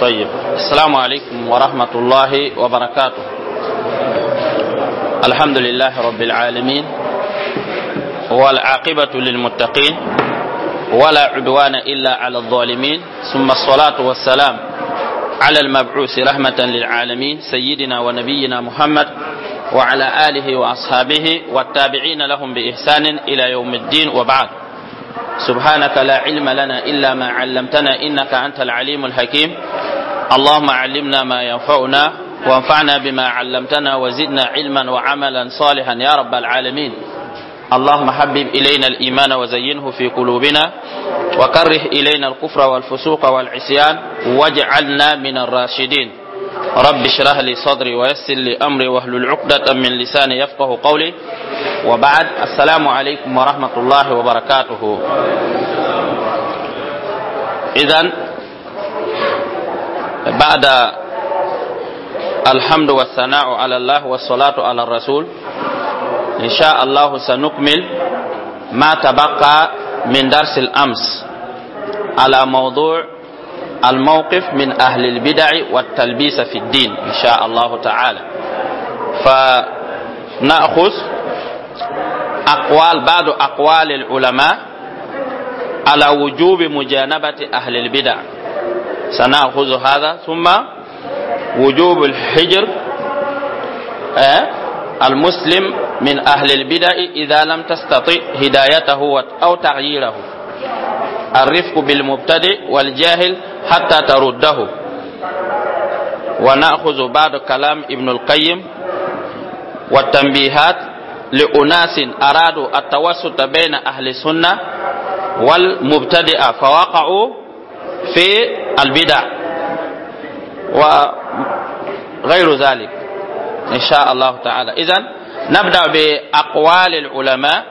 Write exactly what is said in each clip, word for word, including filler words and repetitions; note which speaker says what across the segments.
Speaker 1: طيب، السلام عليكم ورحمة الله وبركاته. الحمد لله رب العالمين، والعاقبة للمتقين، ولا عدوان إلا على الظالمين، ثم الصلاة والسلام على المبعوث رحمة للعالمين، سيدنا ونبينا محمد وعلى آله وأصحابه والتابعين لهم بإحسان إلى يوم الدين، وبعد. سبحانك لا علم لنا إلا ما علمتنا إنك أنت العليم الحكيم. اللهم علمنا ما ينفعنا، وانفعنا بما علمتنا، وزدنا علما وعملا صالحا يا رب العالمين. اللهم حبب إلينا الإيمان وزينه في قلوبنا، وكره إلينا الكفر والفسوق والعصيان، واجعلنا من الراشدين. رب اشرح لي صدري ويسر لي أمري واحلل عقدة من لساني يفقه قولي. وبعد، السلام عليكم ورحمة الله وبركاته. إذا بعد الحمد والثناء على الله والصلاة على الرسول، إن شاء الله سنكمل ما تبقى من درس الأمس على موضوع الموقف من أهل البدع والتلبيس في الدين إن شاء الله تعالى. فنأخذ أقوال بعض أقوال العلماء على وجوب مجانبة أهل البدع، سنأخذ هذا، ثم وجوب الحجر المسلم من أهل البدع إذا لم تستطع هدايته أو تغييره، الرفق بالمبتدئ والجاهل حتى ترده، ونأخذ بعض كلام ابن القيم والتنبيهات لأناس أرادوا التوسط بين أهل السنة والمبتدئة فوقعوا في البدع، وغير ذلك إن شاء الله تعالى. إذن نبدأ بأقوال العلماء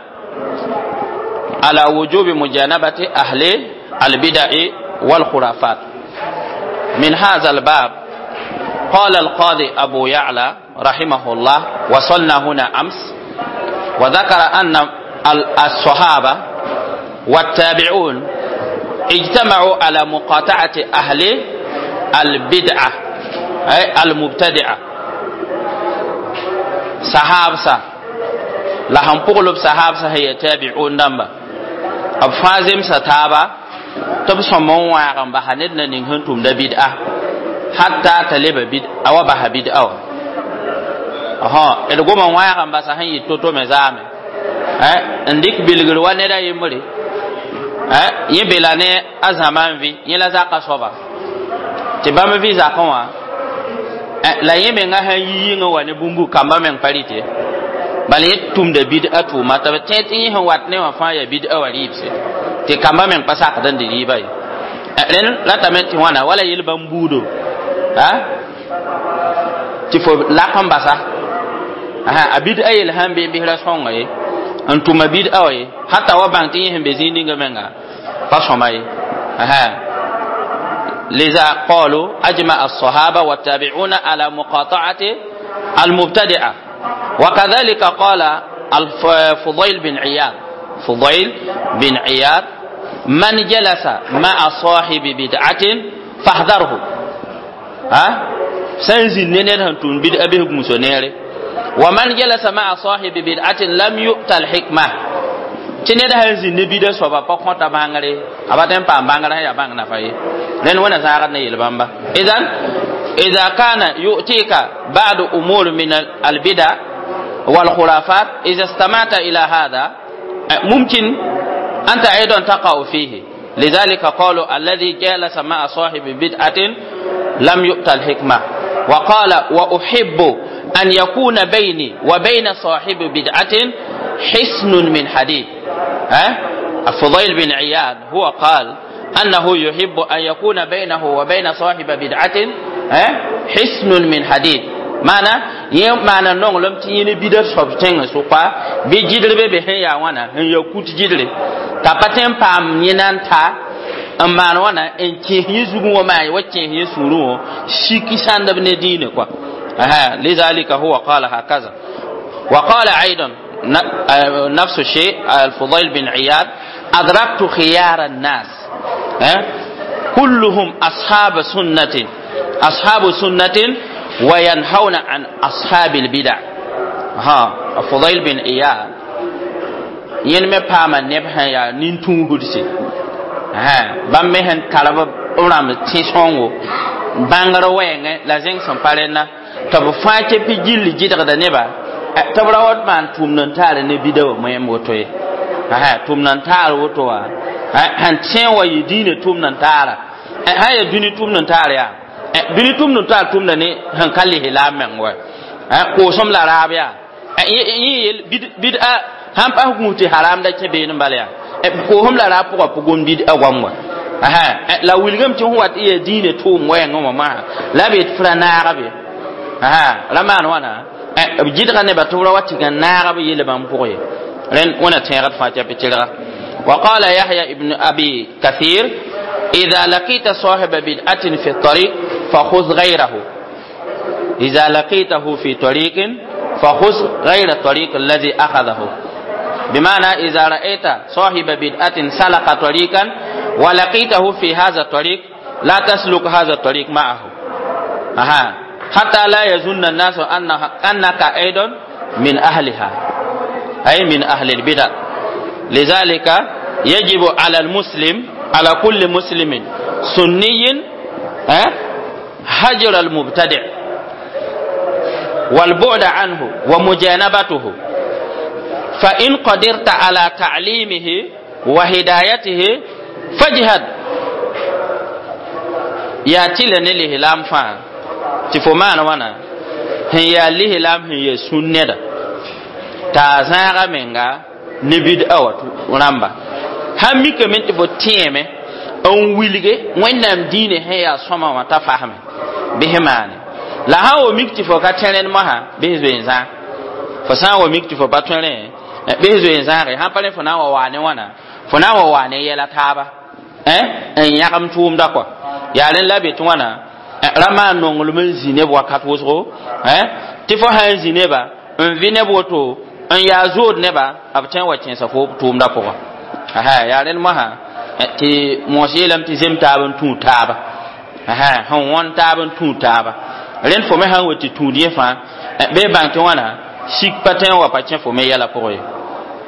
Speaker 1: على وجوب مجانبة أهل البدع والخرافات. من هذا الباب قال القاضي أبو يعلى رحمه الله، وصلنا هنا أمس، وذكر أن الصحابة والتابعون اجتمعوا على مقاطعة أهل البدعة أي المبتدعة. Sahabsa la sẽn pʋgl b sahabsa sẽn yaa tabi'un dãmba, b fãa zemsa taaba tɩ b sõm n wãag n basa ned na ning sẽn tʋmda bid'a hatta t'a leba bid'a wa basa bid'a wã. D gom n wãag n basa sẽn yɩ to-to me zaame n dɩk bilgr wa ned a yembre yẽ bela ne a zãma n vɩ yẽ la zaka soaba tɩ bãmb vɩ zakẽ wã la yẽ menga sãn yi yĩngã wa ne bũmbu kambã meng pa rɩte, bala yẽ tʋmda bid'a tʋʋma tɩ b tẽ tɩ yẽ sẽn wat ne wã fãa yaa bid'a wa rɩɩbse tɩ kambã meng pa sakd n dɩ rɩɩba ye. Rẽnd ratame tɩ wãna wala yel bãmb buudo tɩ fo lak n basa a bid'a yel sãn be n bisra sõnga ye n tʋma bid'a wa ye hata wa bãng tɩ yẽ sẽn be zĩig ninga menga pa sõma ye. لذا قالوا أجمع الصحابة والتابعون على مقاطعة المبتدعة. وكذلك قال الفضيل بن عياض، فضيل بن عياض: من جلس مع صاحب بدعة فاحذره. ها سنزل نينه تون بدعة به مسونيري. ومن جلس مع صاحب بدعة لم يؤت الحكمة. Tɩ ned sãn zĩnd ne bida soaba pa kõta bãngre, a pa tõe n paam bãngrã sẽn yaa bãng nafa ye. Rẽnd wẽna zãagd ne yel-bãmba. إذن إذا كان يؤتيك بعض أمور من البدع والخرافات، إذا استمعت إلى هذا ممكن أنت أيضا تقع فيه. لذلك قالوا الذي جالس مع صاحب بدعة لم يؤت الحكمة. وقال: وأحب أن يكون بيني وبين صاحب بدعة حصن من حديد. ها؟ الفضيل بن عياض هو قال أنه يحب أن يكون بينه وبين صاحب بدعة حصن من حديد. معنى yẽ maana nonglem tɩ yẽ ne bida soab tẽngã sʋka bɩ gɩdr be be sẽn yaa wãna n ya kut gɩdre t'a pa tõe n paam yẽna n ta n maan wãna n kẽes yẽ zugẽ wã maa wa kẽes yẽ sũurẽ wã sik sãndb ne diinã kɔa. لذلك هو قال هكذا. وقال أيضا نفس الشيء الفضيل بن عياض: أدركت خيار الناس. كلهم أصحاب سنة أصحاب سنة وينهون عن أصحاب البدع. ها فضيل بن إياد yen me paama neb sẽn yaa nin-tũusdse bãmb me sẽn tar b rãmb tẽ-sõngo bãngr wɛɛngẽ la zẽng sẽn pa rẽnna tɩ b fãa kepi gilli gɩdgda neba tɩ b ra wa maan tʋʋmd n taar ne bida wã moẽm woto ye tʋʋmd n taar woto wã sẽn tẽ wa yɩ diinã tʋʋmd n taara sã yaa dũni tʋʋmd n taar yaa dũni tʋʋmd n taar tʋʋmda ne sẽn ka lis la a meng wa koosem la raab yaa yẽ yel bid'a sãn pas gũus tɩ haram da kẽ beene n bala yaa koosem la raab pʋgã pʋgem bid'a goam wa la wilgame tɩ fõ wat y yaa diinã tʋʋm wɛɛngẽ wã masã la b yet fra naaga be ra maan wãna b gɩdga nebã tɩ b ra wa tɩ gã naaga b yel bãmb pʋgẽ ye rẽnd wẽna tẽegd fãa tɩ tɩrga. وقال يحيى ابن أبي كثير إذا لقيت صاحب بدعة في الطريق فخذ غيره. إذا لقيته في طريق فخذ غير الطريق الذي أخذه. بمعنى إذا رأيت صاحب بدعة سلك طريقا ولقيته في هذا الطريق لا تسلك هذا الطريق معه. أها. حتى لا يظن الناس أنها أنك أيضا من أهلها، أي من أهل البدع. لذلك يجب على المسلم، على كل مسلم سني، هجر المبتدع والبعد عنه ومجانبته، فإن قدرت على تعليمه وهدايته فاجهد. ياتي لنله لام فان تفمان وانا هي له لام هي سنة تازاغا منغا نبيد أوت رامبا هم ميك من تفو تيمه n wilge wẽnnaam diinã sẽn yaa sõma wã t'a fasme bɩs maane la sã n wa mik tɩ fo ka tẽrẽnd mosã bɩs zoe n zãag fo sã n wa mik tɩ fo pa tõe rẽ bɩs zoe n zãage sãn pa rẽ fo na n wa waa ne wãna fo na n wa waa ne yɛla taaba n yãgem tʋʋmda kɔa yaa rẽnd la be tɩ wãna ra maan nonglem n zĩ neb wakat wʋsgo tɩ fo sã n zĩ neba n vɩ neb woto n yaa zood neba b tõe n wa kẽesa fo tʋʋmda pʋgã yaa rẽnd mosã tɩ moos yeelame tɩ zem taab n tũud taaba sẽn wõn taab n tũud taaba rẽnd fo me sãn wa tɩ tũud yẽ fãa bɩ bãng tɩ wãna sik pa tõe n wa pa kẽ fo me yɛla pʋgẽ ye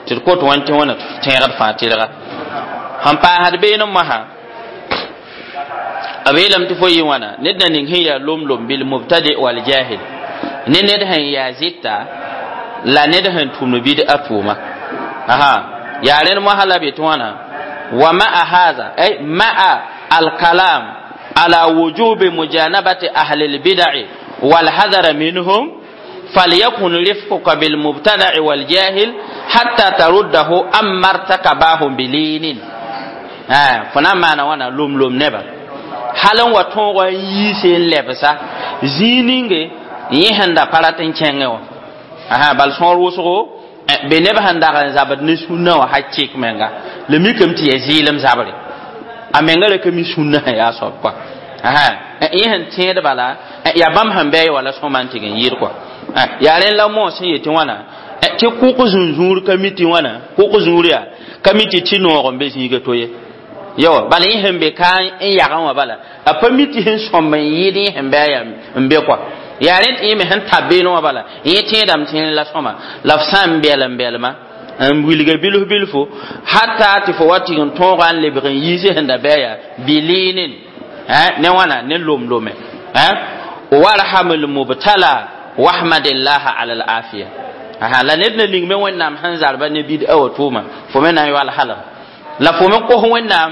Speaker 1: tɩ d kot wãn tɩ wãna tẽegd fãa tɩrga sẽn paasd beene mosã b yeelame tɩ fo yɩ wãna ned na ning sẽn yaa lom-lom bil mubtadi wal jahil ne ned sẽn yaa zɩta la ned sẽn tʋmd bid-a tʋʋma yaa rẽnd mosã la be tɩ wãna ومع هذا أي مع الكلام على وجوب مجانبة أهل البدع والحذر منهم فليكن رفقك بالمبتدع والجاهل حتى ترده أما ارتكباه بلين. آه فنا معنى وانا لوم لوم نبا حالا وطنغ يسين لبسا زينينغ يهن دا پاراتن چنگه آه بل سور وسغو be neb sẽn dag n zabd ne sũnã wã ha chik menga la mikame tɩ yaa zɩɩlem zabre a menga ra ka mi sũnã sẽn yaa soab kɔa yẽ sẽn tẽed bala yaa bãmb sẽn bɩ wala sõma n tɩg n yɩɩd kɔa yaa rẽnd la moos sẽn yetɩ wãna tɩ kʋk zũnzũur ka mi tɩ wãna kʋk zũur yaa ka mi tɩ tɩ noog n be zĩiga to ye yo bala yẽ sẽn be ka n yagẽ wã bala a pa mi tɩ sẽn sõmb n yɩɩd yẽ sẽn bɩ a yaa n be kɔa yaa rẽ tɩ yẽ me sẽn tab beene wã bala yẽ tẽedame tẽen la sõma la f sã n bɛl n bɛlma n wilga bilf bilfo hatta tɩ fo wa tɩg n tõoga n lebg n yiise sẽn da bɩ a yaa bilɩɩnen ne wãna ne lom-lome warham lmubtala wahmadillaha ala alafiya la ned na ning me wẽnnaam sẽn zarba ne bid-a wa tʋʋma fo me na n yoal halg la fo me kos wẽnnaam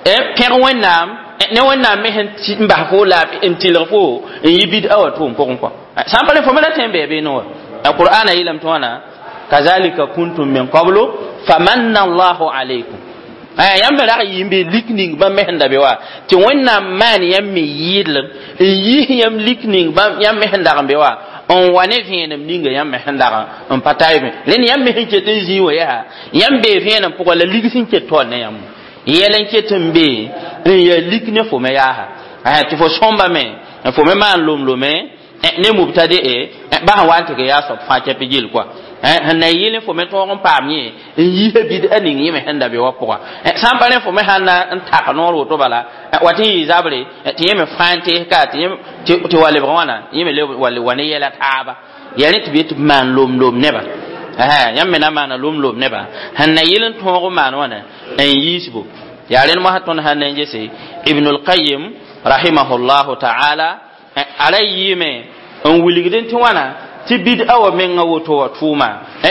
Speaker 1: pẽg wẽnnaam ne wẽnnaam me sẽn n bas fo la n tɩlg fo n yɩ bid-a wa tʋʋm pʋgẽ kɔ sã n pa rẽ fo me ra tõe n bɩ beene wa qur'ana yeelame tɩ wãna kazalika kuntum min qablu famanna allahu alaykum yãmb me rag yɩ n be lik ning bãmb me sẽn da be wa tɩ wẽnnaam maan yãmb me yɩɩdlem n yiis yãmb lik ning yãmb me sẽn dag n be wa n wa ne vẽenem ninga yãmb me sẽn dag n pa ta me rẽnd yãmb me sẽn ket n zĩig wã yaa yãmb bee vẽenem pʋgã la lig sẽn ket taoor ne yãmb yɛl n ket n be n yaa lik ne fo me yaasa tɩ fo sõmba me fo me maan lom-lome ne mubtade ba sẽn wa n tɩg yaa soab fãa kɛpɩ gill kɔa Sẽn na yɩl fo me tõog n paam yẽ n yiisa bid'a ning yẽ me sẽn da be wã pʋga. Sã n pa rẽ fo me sãn na n tak noor woto bala wa tɩ n yɩ zabre tɩ yẽ me fãa n tees ka tɩ tɩ wa lebg wãna yẽ me wa ne yɛla taaba yaa rẽ tɩ b yet tɩ b maan lom-lom nebã. Yãmb me na maana lom-lom nebã sẽn na yɩl n tõog n maan wãna n yiisbo. Yaa rẽnd mosã tõnd sãn na n gese Ibn al-Qayyim rahimahullahu ta'ala a ra yɩɩme n wilgdẽ tɩ wãna tɩ bid'a wa menga woto wa tʋʋma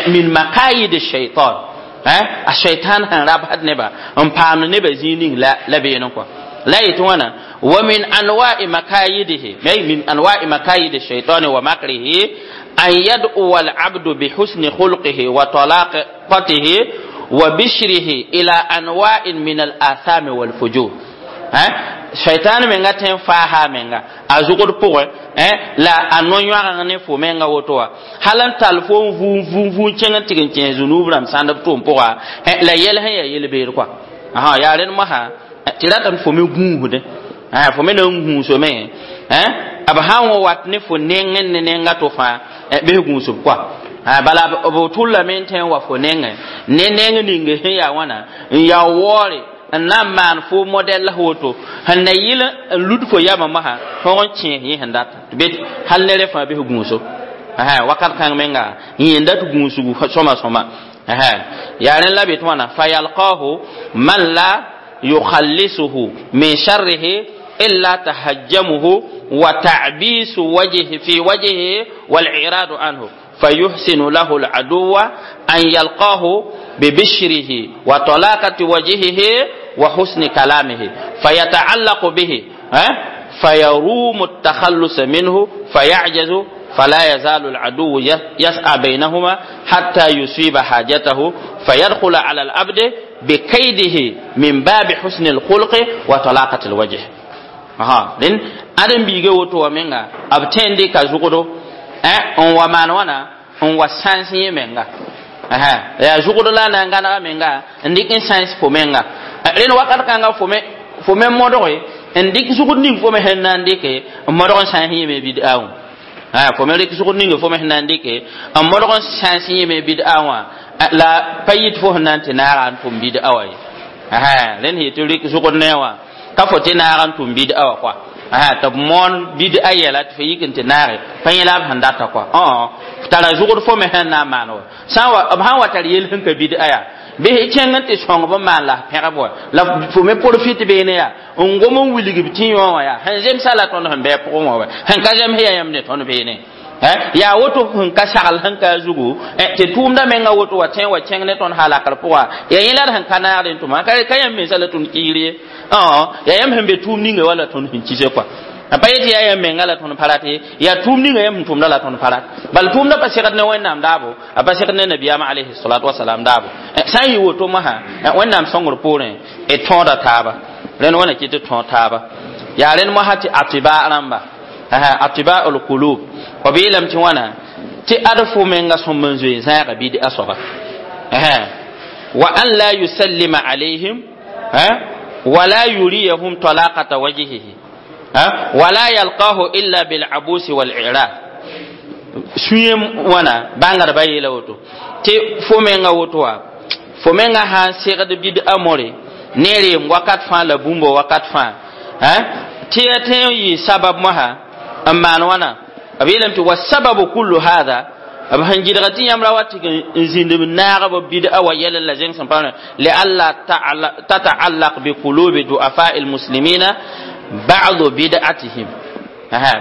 Speaker 1: min makayid shaitan, a shaitan sẽn rabsd neba n paamd nebã zĩig ning la la beene kɔa la yetɩ wãna wa min anwa'i makayidihi ay min anwa'i makayid shaitani wa makrihi an yad'uwa al-abdu bihusni khulqihi wa talaqatihi wa bishrihi ila anwa'in min al-athami wal fujur. Shaitan menga tẽn faaha menga a zʋgd pʋgẽ la a no-yõagẽ ne fo menga woto wã hal n tall fo n vũun vũun vũun kẽng n tɩg n kẽes zũnub rãmb sãnd b tʋʋm pʋga la yɛl sẽn yaa yel-beed kɔa. Yaa rẽnd mosã tɩ ratame fo me gũusdẽ, fo me na n gũusame b sã n wa wat ne fo nengẽ ne nenga to fãa bɩs gũusb kɔa. Bala b tʋllame n tẽ n wa fo nengẽ ne neng ning sẽn yaa wãna n yaa waoore n na n maan fo modɛl woto sẽn na yɩl n lud fo yamã mosã tõog n kẽes yẽ sẽn data tɩ be hal ne rẽ fãa bɩs gũuso wakat kãng menga yẽnda tɩ gũusgu sõma sõma. Yaa rẽnd la be tɩ wãna fayalqahu man la yukhallisuhu min sharrihi illa tahajjamuhu wa ta'bisu wajhi fi wajhihi wal i'radu anhu فيحسن له العدو أن يلقاه ببشره وطلاقة وجهه وحسن كلامه فيتعلق به فيروم التخلص منه فيعجز فلا يزال العدو يسعى بينهما حتى يصيب حاجته فيدخل على العبد بكيده من باب حسن الخلق وطلاقة الوجه. أها لأن أدم بيجي وتو منغا أبتين دي كزوجو n wa maan wãna n wa sãns yẽ menga yaa zʋgd la na n gãnega menga n dɩk n sãns fo menga rẽnd wakat kãnga fo me fo me modge n dɩk zʋgd ning fo me sẽn na n dɩke n modg n sãns yẽ me bid'a wã fo me rɩk zʋgd ning fo me sẽn na n dɩke n modg n sãns yẽ me bid'a wã la pa yit fo sẽn na n tɩ naaga n tʋm bid'a wã ye rẽnd sẽn yetɩ rɩk zʋgd ne wã ka fo tɩ naaga n tʋm bid'a wã kɔa tɩ b moon bid'a yɛla tɩ fo yik n tɩ naage pa yẽ la b sẽn data kɔa tara zʋgd fo me sẽn na n maan wa sã b sãn wa tar yel sẽn ka bid'a yaa bɩ kẽng n tɩ sõng b n maan la pẽgb wa la fo me profit beene yaa n gom n wilg b tĩ yõ wã yaa sẽn zemsa la tõnd sẽn bɩ pʋgẽ wã wa sẽn ka zems yaa yãmb ne tõnd beene yaa woto sẽn ka sagl sẽn ka a zugu tɩ tʋʋmda menga woto wa tẽ wa kẽng ne tõnd halakr pʋga yaa yẽ la d sẽn ka naagd n tʋma ka yãmb mensa la tõnd kiir ye yaa yãmb sẽn be tʋʋm ninga wa la tõnd sẽn kise kɔa pa yetɩ yaa yãmb menga la tõnd pa rat ye yaa tʋʋm ninga yãmb sẽn tʋmda la tõnd pa rat bal tʋʋmda pa segd ne Wẽnnaam daabo a pa segd ne nabiyaamã alayhi salatu wasalam daabo sã n yɩ woto mosã Wẽnnaam sõngr poorẽ d tõoda taaba rẽnd wãna kɩ tɩ tõog taaba yaa rẽnd mosã tɩ atiba rãmba atiba al-qulub b yeelame tɩ wãna tɩ ad fo menga sõmb n zoe zãaga bid'a soaba wa an la yusallima alayhim ولا يريهم طلاقة وجهه ولا يلقاه إلا بالعبوس والإعراض سويم وانا بانغر باي لوتو تي فومنغا ووتوا فومنغا ها سيغد بيد أموري نيري وقت فان لا بومبو وقت فان ها تي تي سبب مها أمان وانا أبيلم تي والسبب كل هذا b sẽn gɩdg tɩ yãmb ra wa tɩ n zĩnd b naag b bid'a wa yɛl la zẽng sẽn pa lialla tata'allaq bi qulubi du'afa'i almuslimina ba'du bid'atihim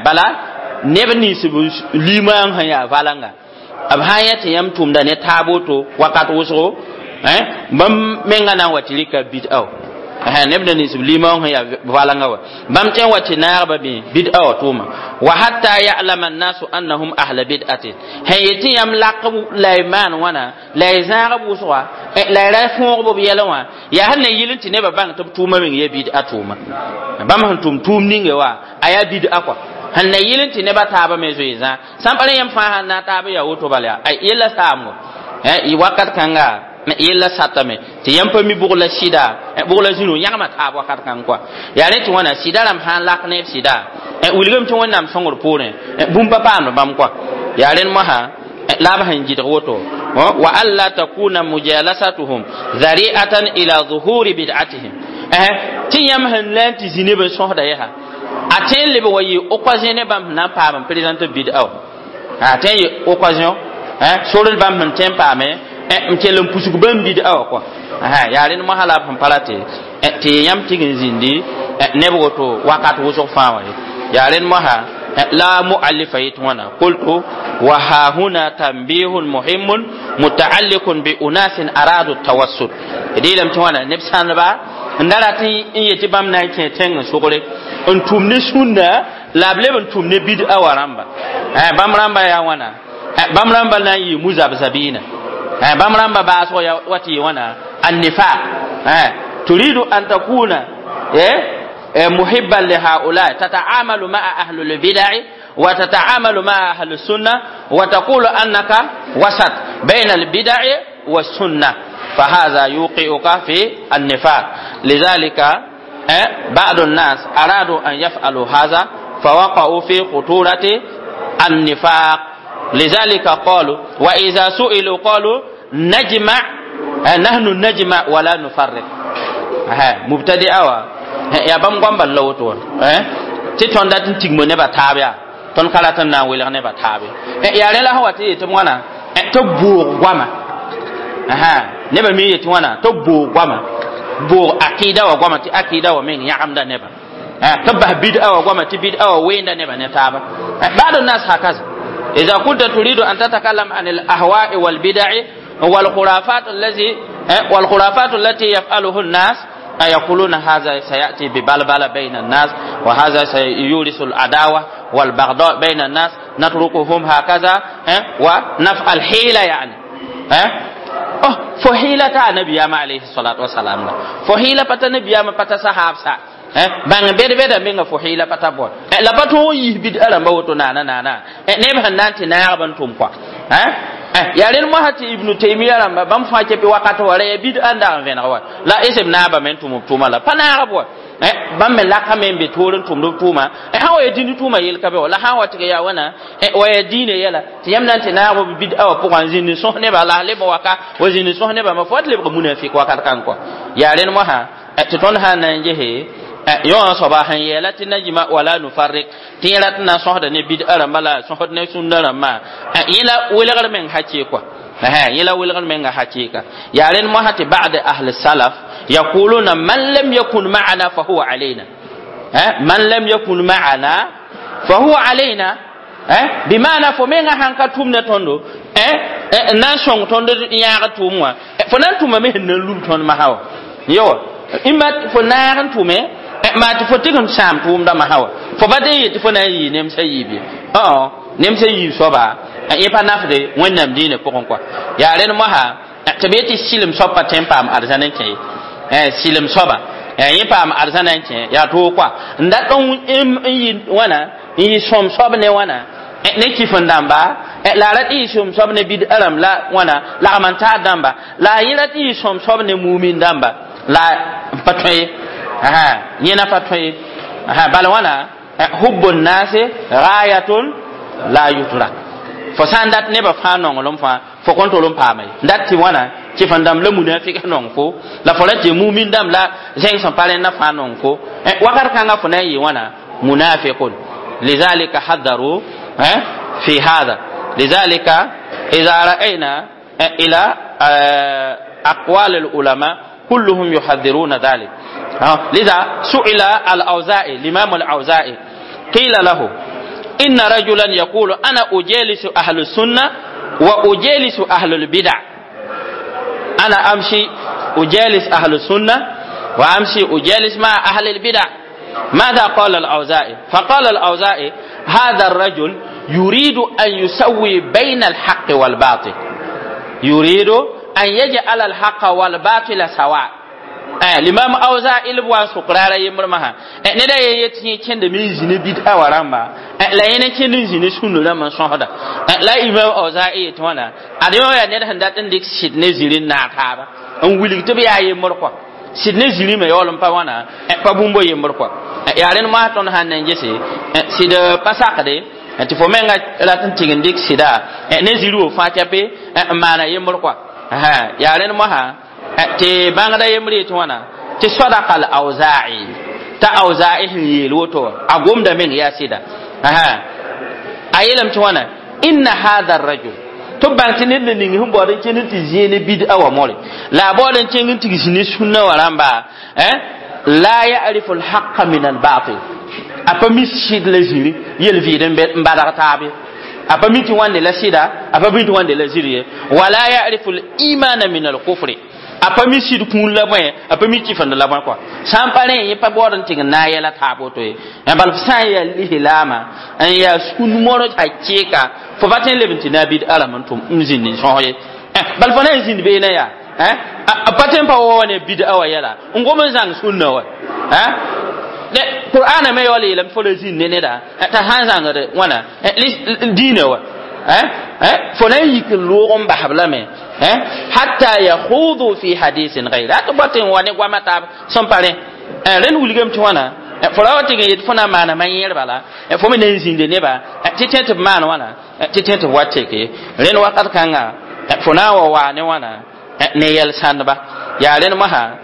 Speaker 1: bala neb nins b limaang sẽn yaa valanga b sã n yã tɩ yãmb tʋmda ne taab woto wakat wʋsgo bãmb menga na n wa tɩ rɩka bid'a wa neb na nins b limaang sẽn yaa valanga wa bãmb tõe n wa tɩ naagba bẽ bid'a wa tʋʋma wa hatta ya'lama an-nasu annahum ahla bid'atin sẽn yetɩ yãmb lak la y maan wãna la y zãag b wʋsga la y ra fõog b yɛlẽ wã yaa sẽn na yɩl n tɩ nebã bãng tɩ b tʋʋma meng yaa bid'a tʋʋma bãmb sẽn tʋm tʋʋm ninge wa a yaa bid'a kɔa sẽn na yɩl n tɩ nebã taabã me zoe zã sã n pa rẽ yãmb fãa sãn na n taab yaa woto bala yaa yella saamgo wakat kãnga yella satame tɩ yãmb pa mi bʋg la sɩda bʋg la zĩnu yãgma taab wakat kãng kɔa yaa rẽ tɩ wãna sɩda rãmb sã n lak ne b sɩda wilgame tɩ Wẽnnaam sõngr poorẽ bũmb pa paamd bãmb kɔa yaa rẽnd mosã la b sẽn gɩdg woto وألا تكون مجالستهم ذريعة إلى ظهور بدعتهم. tɩ yãmb sẽn la n tɩ zĩ neb n sõsda yaa a tõe n leb wa yɩ occasion ne bãmb sẽn na n paam n présente bid'a wã a tõe n yɩ occasion sor bãmb sẽn tõe n paame n kell n pusg bãmb bid'a wã kɔa yaa rẽnd mosã la b sẽn pa ra tɩ tɩ yãmb tig n zĩndi neb woto wakat wʋsg fãa wã ye yaa rẽnd mosã la muallifa yet wãna qultu wa hahuna tanbihun muhimun mutaalliqun bi unasin aradu tawassut d yeelame tɩ wãna neb sãndba n da rat n yetɩ bãmb na n kẽ tẽng n sogre n tʋm ne sũnna la b leb n tʋm ne bid'a wã rãmba bãmb rãmba yaa wãna bãmb rãmba na n yɩ muzabzabiina bãmb rãmba baasg wa tɩ yɩ wãna annifaq turidu an takuna محبا لهؤلاء تتعامل مع أهل البدع وتتعامل مع أهل السنة وتقول أنك وسط بين البدع والسنة فهذا يوقعك في النفاق. لذلك بعض الناس أرادوا أن يفعلوا هذا فوقعوا في خطورة النفاق. لذلك قالوا وإذا سئلوا قالوا نجمع نحن نجمع ولا نفرق. مبتدئة ya bãmb goam bal la woto wã tɩ tõnd dat n tigmo nebã taab yaa tõnd ka rat n na n welg nebã taabe yaa rẽ la sẽn wa tɩ yetɩ wãna tɩ boog goama nebã me yetɩ wãna tɩ boog goama boog akida wa goama tɩ akida wa meng yãgemda nebã tɩ bas bid'a wa goama tɩ bid'a wa weenda nebã ne taaba ba'd الناس هكذا إذا كنت تريد أن تتكلم عن الأهواء والبدع والخرافات الذي والخرافات التي يفعله الناس يقولون هذا سيأتي ببلبلة بين الناس وهذا سيورث العداوة والبغضاء بين الناس نتركهم هكذا ونفعل حيلة يعني oh فحيلة النبي عليه الصلاة والسلام فحيلة pata نبي pata sahab sa bãng bed-beda menga fo hɩɩla pa ta bõe la pa tõog n yis bid'a rãmba woto naana naana neb sẽn na n tɩ naagb n tʋm kɔa yaa rẽnd mosã tɩ ibnu taimia rãmba bãmb fãa kepe wakat wa ra yaa bid'a n dag n vẽneg wa la esb naabame n tʋm b tʋʋma la pa naagb wa bãmb me lakame n be toor n tʋmd b tʋʋma sã wa yaa dĩnd tʋʋma yel ka be wa la sã n wa tɩg yaa wãna wa yaa diinã yɛla tɩ yãmb na n tɩ naag b bid'a wã pʋgã n zĩnd n sõs nebã la leb waka wa zĩnd n sõs nebã ma fo wat lebg munafik wakat kãng kɔa yaa rẽnd mosã tɩ tõnd sã n na n gese yõ soaba sẽn yeela tɩ najma wala nufarrik tɩ yẽ rat n na n sõsda ne bid'a rãmba la sõsd ne sũnna rãmbã yẽ la welgr meng hakɩ kɔa yẽ la welgr menga hakɩka yaa rẽnd mosã tɩ ba'd ahl salaf yaquluna man lam yakun ma'ana fa huwa alayna man lam yakun ma'ana fa huwa alayna bima'ana fo menga sãn ka tʋm ne tõndo n na n sõng tõnd yãag tʋʋm wã fo na n tʋmame sẽn na n lub tõnd masã wã yo imma fo naag n tʋme ma tɩ fo tɩg n sãam tʋʋmda masã wã fo pa tɩ n yet tɩ fo na n yɩɩ nemsã yiib ye nemsã yiib soaba yẽ pa nafde wẽnnaam diinã pʋgẽ kɔa yaa rẽnd mosã tɩ b yetɩ sɩlem soab pa tõe n paam arzãn n kẽ ye sɩlem soaba yẽ paam arzãn n kẽ yaa toog kɔa n dat n yɩ wãna n yɩ sõm soab ne wãna ne kif n dãmba la a rat n yɩ sõm soab ne bid'a rãmb la wãna lagm n taar dãmba la a yẽ rat n yɩ sõm soab ne mumin dãmba la n pa tõe ye yẽ na pa tõe ye bala wãna hubbu nnase gayatun la yutrak fo sã n dat nebã fãa nonglem fãa fo kõn tol n paama ye dat tɩ wãna kɩf n dãmb la munafik nong fo la fo ra tɩ mumin dãmb la zẽng sẽn pa rẽnna fãa nong fo wakat kãngã fo na n yɩ wãna munafiqun لذلك حذروا في هذا. لذلك إذا رأينا إلى أقوال العلماء كلهم يحذرون ذلك. لذا سئل الأوزاعي الإمام الأوزاعي قيل له إن رجلا يقول أنا أجالس أهل السنة وأجالس أهل البدع، أنا أمشي أجالس أهل السنة وأمشي أجالس مع أهل البدع. ماذا قال الأوزاعي؟ فقال الأوزاعي هذا الرجل يريد أن يسوي بين الحق والباطل، يريد أن يجعل الحق والباطل سواء. الإمام أوزاعي لبوان سقرارا يمرمها ندا يتي كند من زين بدعة ورamba لا ين كند زين سنة لما صهدا لا إمام أوزاعي يتوانا أديما يا ندا هندات نديك شد نزيلين ناتابا أن ولي تبي أي مرقوا sɩd ne zĩrime yaool n pa wãna pa bũmb yembr kɔa yaa rẽnd moas tõnd sãn na n gese sɩd pa sakde Tɩ fo menga rat n tɩg n dɩk sɩda ne zĩri wo fãa kɛpe n maana yembr kɔa. Yaa rẽnd mosã tɩ bãngda yembr yetɩ wãna tɩ sadaka al auza'i, t'a auza'i sẽn yeel woto wã a gomda meng yaa sɩda. A yeelame tɩ wãna inna hadha rajul, tɩ b bãng tɩ ned na ning sẽn baood n kẽnd n tɩ zĩe ne bid'a wã more la a baood n kẽng n tɩ zĩ ne sũnna wã rãmba, la ya'rifu alhaqa min albatil, a pa mi sɩd la zĩri yel-vɩɩd n badg taab ye, a pa mi tɩ wãnde la sɩda, a pa mi tɩ wãnde la zĩri ye, wala ya'rifu al-imana min al-kufri, a pa mi sɩd kũun la bõe, a pa mi kifend la bõe kɔa. Sã n pa rẽ yẽ pa baood n tɩg n naag yɛla taab woto ye. Bala f sã n yaa lislaama n yaa sũn mor hakɩɩka, fo pa tõe n leb n tɩ naag bid'a rãmb n tʋm n zĩnd n sõs ye. Bala fo na n zĩnd beene yaa a pa tõe n pa wa wa ne bid'a wã yɛla n gom n zãng sũnna wa. Qur'ana me yaool yeelame fo la zĩnd ne neda t'a sã n zãngd wãna diinã wa, fo na n yik n loog n basb lame hatta yakhudu fi hadisin gayri tɩ bot n wa ne goama taab sẽn pa rẽ. Rẽnd wilgame tɩ wãna fo ra wa tɩg n yet fo na n maana ma-yẽer bala, fo me na n zĩnde neba tɩ tẽ tɩ b maan wãna tɩ tẽ tɩ b wa teke. Rẽnd wakat kãnga fo na n wa waa ne wãna ne yɛl sãndba. Yaa rẽnd mosã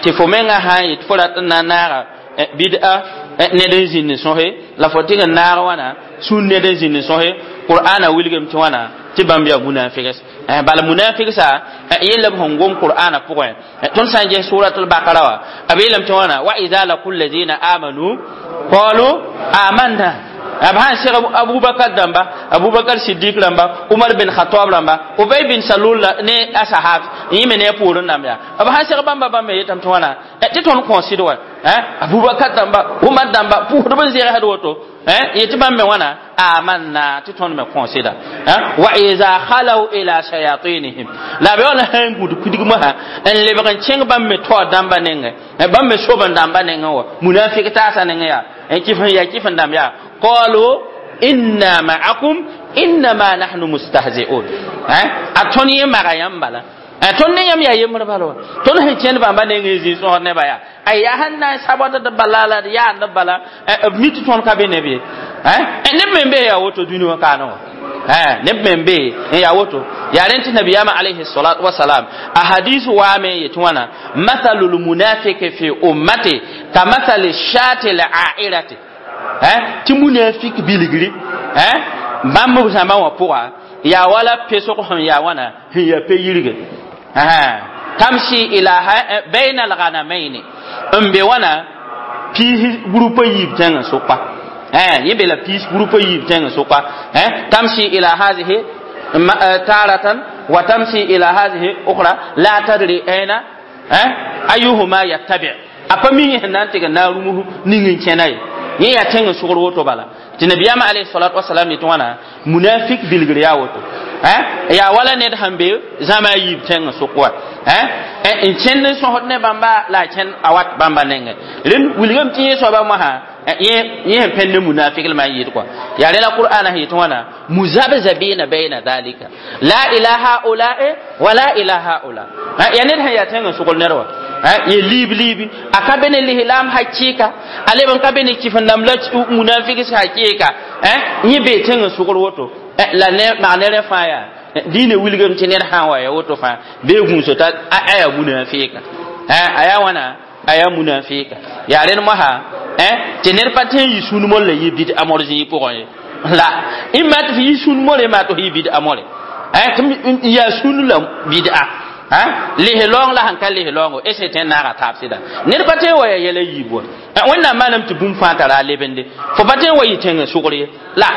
Speaker 1: tɩ fo menga sã n yet fo rat n na n naaga bid'a ned n zĩnd sõse la fo tɩg n naag wãna sũn ned n zĩnd sõse, Qur'ana wilgame tɩ wãna tɩ bãmb yaa munafigs. Bala munafigsã yella b sẽn gom Qur'ana pʋgẽ, tõnd sã n ges suratul bakara wã, b yeelame tɩ wãna wa ida laqu llazina amanu qalu amanna. B sãn seg Abubakar dãmba, Abubakar Siddik rãmba, Umar bin Khatab rãmba, Ubay bin Salul ne a sahab yẽ me ne a poorẽ rãmb yaa, b sãn seg bãmba bãmb me yetame tɩ wãna tɩ tõnd kõ sɩd wa Abubakar dãmba, Umar dãmba pʋʋsdb n zegsd woto yetɩ bãmb me wãna amanna tɩ tõnd me kõ sɩda. Wa iza khalaw ila shayatinihim, la b yaool sã n gũd kudg mosã n lebg n kẽng bãmb me taoor dãmba nengẽ, bãmb me sob n dãmba nengẽ wa munafik taasã nengẽ yaa kɩf n yaa kɩf n dãmb yaa qalu inna ma'akum innama nahnu mustahzi'un. A tõnd yẽ maga yãmb bala, tõnd ne yãmb yaa yembr bala wa, tõnd sẽn kẽnd bãmba nengẽ zĩ sõsd neba yaa ay yaa sẽn na n sabd d bala la d yaand bala b mi tɩ tõnd ka be neb ye. Neb me n bee yaa woto dũni wã kaane wã, neb me n bee n yaa woto. Yaa rẽnd tɩ nabiyaamã alayhi salatu wasalam a hadis waame n yetɩ wãna mathalu lmunafiki fi ummati ka mathali shati l'airati, tɩ munafik bilgri bãmb b zãmbã wã pʋga yaa wala pesg sẽn yaa wãna sẽn yaa pe-yirge tamshi ila bayna alghanamaini n be wãna piis groupe yiib tẽngã sʋka, yẽ be la piis groupe yiib tẽngã sʋka, tamshi ila hazihi taratan wa tamshi ila hazihi ukhra la tadri aina ayuhuma yattabi, a pa mi yẽ sẽn na n tɩg n na n rũms ning n kẽna ye, yẽ yaa tẽng n sʋgr woto bala. Tɩ nabiyaamã alayhi salatu wasalam yetɩ wãna munafik bilgr yaa woto, yaa wala ned sẽn be zãma a yiib tẽng n sʋk wa n kẽnd n sõsd ne bãmba la a kẽnd a wat bãmba nengẽ. Rẽnd wilgame tɩ yẽ soaba mosã yẽ sẽn pẽnd ne munafik lma n yɩɩd kɔa. Yaa rẽ la Qur'ana sẽn yetɩ wãna muzabzabina bayna dhalika la ila haulae wa la ila haula, yaa ned sẽn yaa tẽng n sʋgl ned wã yẽ liib liibi a ka be ne lislaam hakɩɩka, a leb n ka be ne kɩf n dãmb la munafigs hakɩɩka, yẽ bee tẽng n sʋgr woto la mak ne rẽ fãa yaa diinã wilgame tɩ ned sã n wa ya woto fãa bee gũuso t'a a yaa munafika, a yaa wãna a yaa munafika. Yaa rẽnd mosã tɩ ned pa tõe n yɩ sũn mor la yɩ bid'a mor zĩig pʋgẽ ye, la ĩmma tɩ f yɩ sũn more maa tɩ f yɩ bid'a more, tɩ yaa sũn la bid'a lis-laoong la sẽn ka lis-laoongo ese tõe n naaga taab sɩda. Ned pa tõe n wa yaa yɛla yiib wa, Wẽnnaam maanam tɩ bũmb fãa tara a lebende, fo pa tõe n wa yɩ tẽng n sʋgr ye, la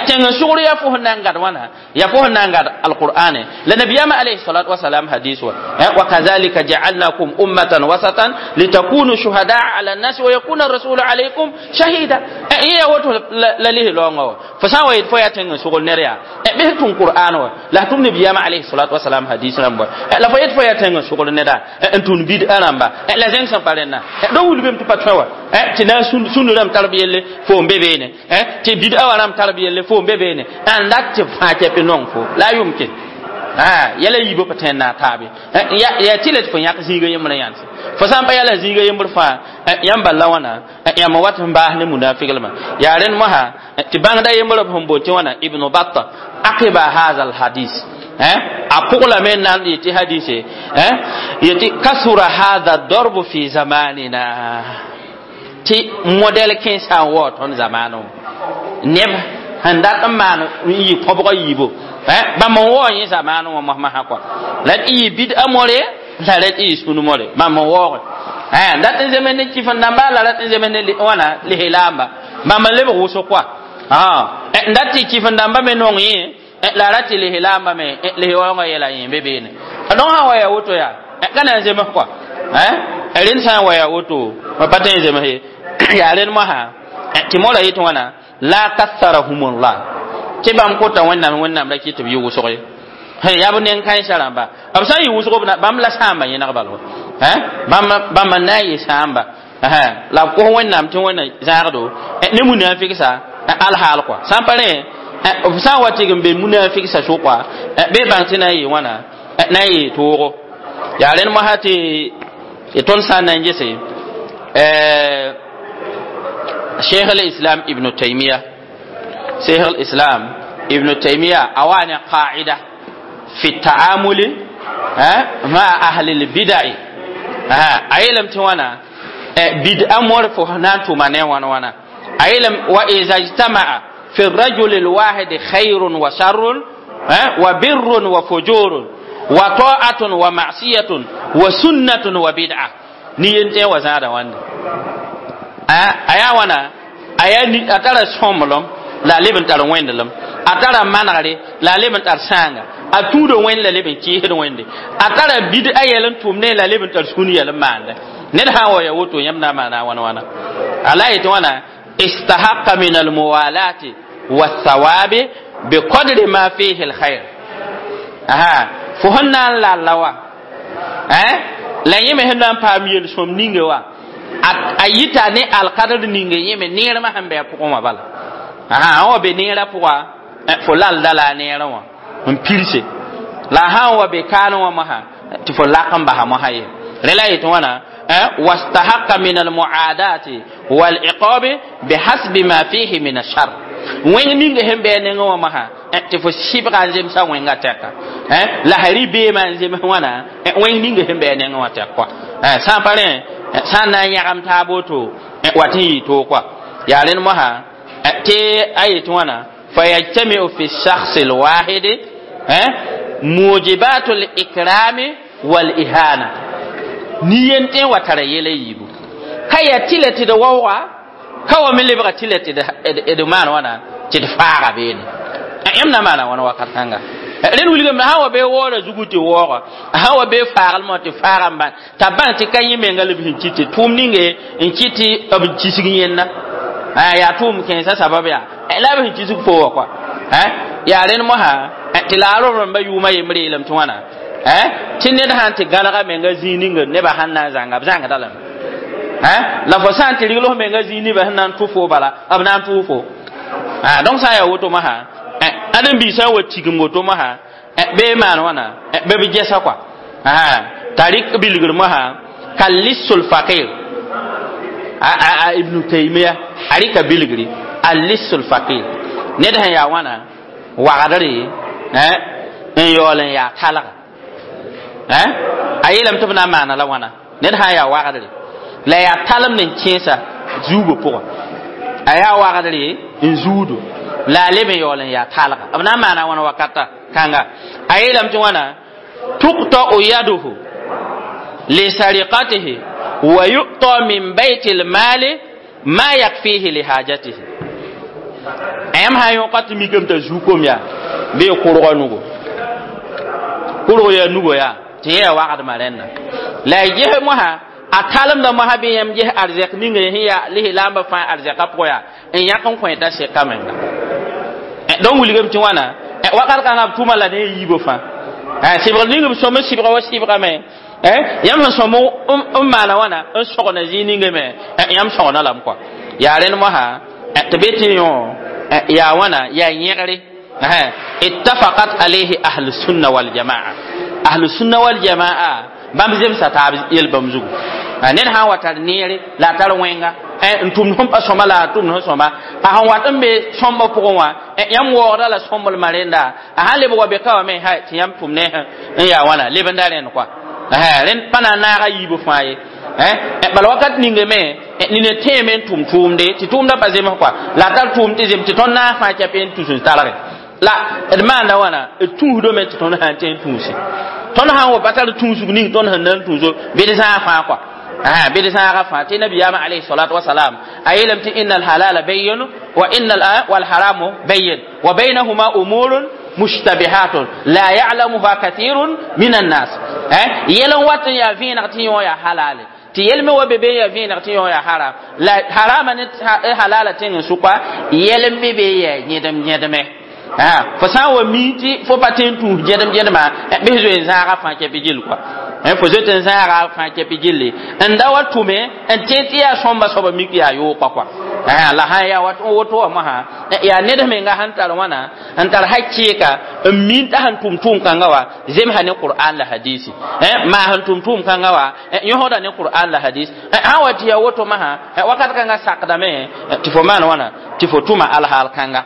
Speaker 1: tẽng n sʋgr yaa fo sẽn na n gad wãna, yaa fo sẽn na n gad alqur'ane la nabiyaamã alayhi salatu wasalam hadis wa wa kadhalika ja'alnakum ummatan wasatan litakunu shuhadaa ala an-nas wa yakuna ar-rasulu alaykum shahida. Yẽ yaa woto la lis-laoongã wa, fo sã n wa yet fo yaa tẽng n sʋgr ned yaa bɩs tʋm Qur'an wa la tʋm nabiyaamã alayhi salatu wasalam hadis rãmb wa la fo yet fo yaa tẽng n sʋgr neda n tũn bid'a rãmba la zẽng sẽn pa rẽnna dõ wilgame tɩ pa tõe wa tɩ na n sũnd rãmb tar b yelle fo n be beene, tɩ bid'a wã rãmb tar b yelle fo n be beene, n rat tɩ b fãa kɛp nong fo la yumkin. Ah, yɛla yiibã pa tõe n naag taabe. Yaa tɩ la tɩ fo yãk zĩiga yembrã yãnse. Fo sã n pa yɛla zĩiga yembr fãa, yãmb bal la wãna, yãmb wat n baas ne munafiglmã. Yaa rẽnd mosã tɩ bãngda yembrã b sẽn boond tɩ wãna Ibnu Batta aqiba haza alhadis. A pʋglame n na n yetɩ hadise yetɩ kasura hada darbu fi zamanina, tɩ modɛl kẽensã n waoog tõnd zamaanẽ. Neb sẽn dat n maan n yɩ kõbgã yiibo, bãmb n waoog yẽ zamaanẽ wã mosmosã kɔa. La d yɩ bid'a more, la d yɩ sũn more, bãmb n waooge. Dat n zems ne kɩf-n dãmba, la rat n zems ne wãna lislaamba, bãmb n lebg wʋsg kɔa. N dat tɩ kɩf-n dãmba me nong yẽ, la rat tɩ lislaamba me lis-waoongã yɛla yẽ be beene. Donc sã n wa yaa woto yaa ka na n zems kɔa. Rẽnd sã n wa yaa woto pa tõe n zems ye. Yaa rẽnd mosã tɩ mora yetɩ wãna la katharahumullah, tɩ bãmb kota Wẽnnaam, Wẽnnaam ra kɩ tɩ b yɩ wʋsg ye. Yaa b nen-kãensã rãmba, b sã n yɩ wʋsg bãmb la sãamba yẽneg bal bãmb bãmb n na n yɩ sãamba, la b kos Wẽnnaam tɩ Wẽnna zãagdo ne munafiksa alhaal kɔa. Sã n pa rẽ, b sã n wa tɩg n be munafiksa sʋka bɩ bãng tɩ na n yɩ wãna, na n yɩ toogo. Yaa rẽnd mosã tɩ tõnd sã n na n gese Cheikh al-Islam Ibn Taymiyyah, Cheikh al-Islam Ibn Taymiyyah a wa ne qaida fi ta'amuli ma ahli al-bid'ah. A yeelame tɩ wãna bid'a mor fo na n tʋma ne wãn wãna. A yeelame wa iza ijtama'a fi الرجل الواحد خير وشر وبر وفجور وطاعة ومعصية وسنة وبدعة ni yen tẽ wa zãada wãnde. A yaa wãna, a tara sõmblem la a leb n tar wẽndelem, a tara manegre la a leb n tar sãanga, a tũuda wẽnd la leb n kɩɩsd wẽnde, a tara bid a yɛl n tʋm ne la leb n tar sũn yɛl n maande. Ned sã n wa ya woto, yãmb na n maana wãn wãna. A la yetɩ wãna istahaqqa min almuwalati wathawabi biqadri ma fihi alkhair. Aha, fo sẽn na n lalla wa la yẽ me sẽn na n paam yel-sõm ninge wa, a yita ne alkadr ninge yẽ me neermã sẽn bɩ a pʋgẽ wã bala. Aha, wa be neerã pʋga, fo lalda la a neerã wã n pirse, la a sã n wa be kaanẽ wã mosã tɩ fo lak n basa mosã ye. Rẽ la yetɩ wãna wastahaqqa min almuaadati waliqabi bihasbi ma fihi min ashar. Wẽng ninga sẽn bɩ a nengẽ wã mosã tɩ fo sɩbga n zemsa wẽnga tɛka, la sã rɩ beemã n zems wãna wẽng ninga sẽn bɩ a nengẽ wã tɛk kɔa. Sã n pa rẽ, sã n na n yãgem taab woto wat n yɩ toog kɔa. Yaa rẽnd mosã tɩ a yetɩ wãna fayajtamiu fi shakhs alwahid mujibatu likrami walihana. Ni-yen tõe n wa tara yɛla yiibu ka yaa tɩ la tɩ d waooga, ka wa me lebga tɩ la tɩ d maan wãna tɩ d faaga beene. Yãmb na maana wãna wakat kãnga. Rẽnd wilgame sã n wa bee waoora zugu tɩ waooga, sã n wa bee faaglmã tɩ faaga n bãn t'a bãng tɩ ka yẽ menga la b sẽn kɩt tɩ tʋʋm ninge n kɩt tɩ b kisg yẽnda yaa tʋʋm kẽensã sabab yaa la b sẽn kisg fo wa kɔa. Yaa rẽnd mosã tɩ la a rob rãmbã yʋʋmã yembre yeelame tɩ wãna tɩ ned sã n tɩ gãlga menga zĩig ninga nebã sẽn na n zãnga b zãngda lame, la fo sã n tɩ rigl f menga zĩig nebã sẽn na n tʋ fo bala, b na n tʋʋ fo. Donc sã n yaa woto mosã, ãdem-biisã wa tigim woto mosã bee maan wãna bɩ b gɛsa kɔa t'a rɩk bilgr mosã kallisul fakir. A Ibnu Taymiya a rɩka bilgri allisul fakir, ned sẽn yaa wãna wagdre n yaool n yaa talga. A yeelame tɩ b na n maana la wãna, ned sã n yaa wagdre la yaa talem n kẽesa zuugã pʋgã, a yaa wagdre n zuudo la a leb n yaool n yaa talga, b na n maana wãna wakata kãnga. A yeelame tɩ wãna tuqta'u yaduhu li sariqatihi wa yu'ta min bayti lmali ma yakfihi li hajatihi. Yãmb sã n yõka tɩ mikame t'a zuu kom yaa bɩ kʋrgã nugo, kʋrg yaa nugo yaa tɩ yẽ yaa wagdmã rẽnna la a ges mosã a talemda mosã bɩ yãmb ges arzɛk ninga sẽn yaa lislaambã fãa arzɛkã pʋgã yaa n yãk n kõ t'a seka menga. Donc wilgame tɩ wãna wakat kãngã b tʋma la ne yiibã fãa sɩbgr ning b sõm n sɩbga wa sɩbgame. Yãmb sẽn sõm n maana wãna n sõgna zĩig ninga me, yãmb sõgna lame kɔa. Yaa rẽnd mosã tɩ be tɩ yõ yaa wãna yaa yẽgre. Ittafaqat alayhi ahlu sunna wal jamaa. Ahlu sunna wal jamaa bãmb zemsa taab yel bãmb zugu. Ned sã n wa tar neere la a tar wẽnga n tʋmd sẽn pa sõma la a tʋmd sẽn sõma a sẽn wat n be sõmbã pʋgẽ wã yãmb waoogda la sõmblmã rẽnda a sãn lebg wa be ka wã me tɩ yãmb tʋm ne n yaa wãna lebenda rẽnd kɔa rẽnd pa na n naaga yiibã fãa ye. Bala wakat ninge me nina tẽeme n tʋm tʋʋmde tɩ tʋʋmdã pa zems kɔa la a tar tʋʋm tɩ zem tɩ tõnd naas fãa kɛp n tus n talge la d maanda wãna d tũusdame tɩ tõnd sã n tẽ n tũuse tõnd sã n wa pa tar tũusg ning tõnd sẽn na n tũuso bɩ d zãag fãa kɔa bɩ d zãaga fãa tɩ nabiyaamã alayhi salatu wasalam a yeelame tɩ inna alhalala bayyin wa inna walharamu bayyin wa baynahuma umurun mushtabihatun la ya'lamuha kathirun min annas. Yɛl n wat n yaa vẽeneg tɩ yõ yaa halale tɩ yɛl me wa be be n yaa vẽeneg tɩ yõ yaa haram la harama ne halala tẽng n sʋka yɛl n me be yaa yẽdem yẽdeme. Fo sã n wa mi tɩ fo pa tẽ n tũus gẽdem gẽdemã bɩ zoe n zãaga fãa kɛpɩ gill kɔa fo zoet n zãaga fãa kɛpɩ gilli n da wa tʋme n tẽ tɩ yaa sõmba soaba mik yaa yookã kɔa la sã n yaa wat n woto wã mosã yaa ned menga sẽn tar wãna n tar hakɩɩka n min t'a sẽn tʋm tʋʋm-kãngã wa zemsa ne Qur'an la hadisi maa sẽn tʋm tʋʋm-kãngã wa yõsda ne Qur'an la hadis sã n wa tɩ yaa woto mosã wakat kãngã sakdame tɩ fo maan wãna tɩ fo tʋma alhaal kãnga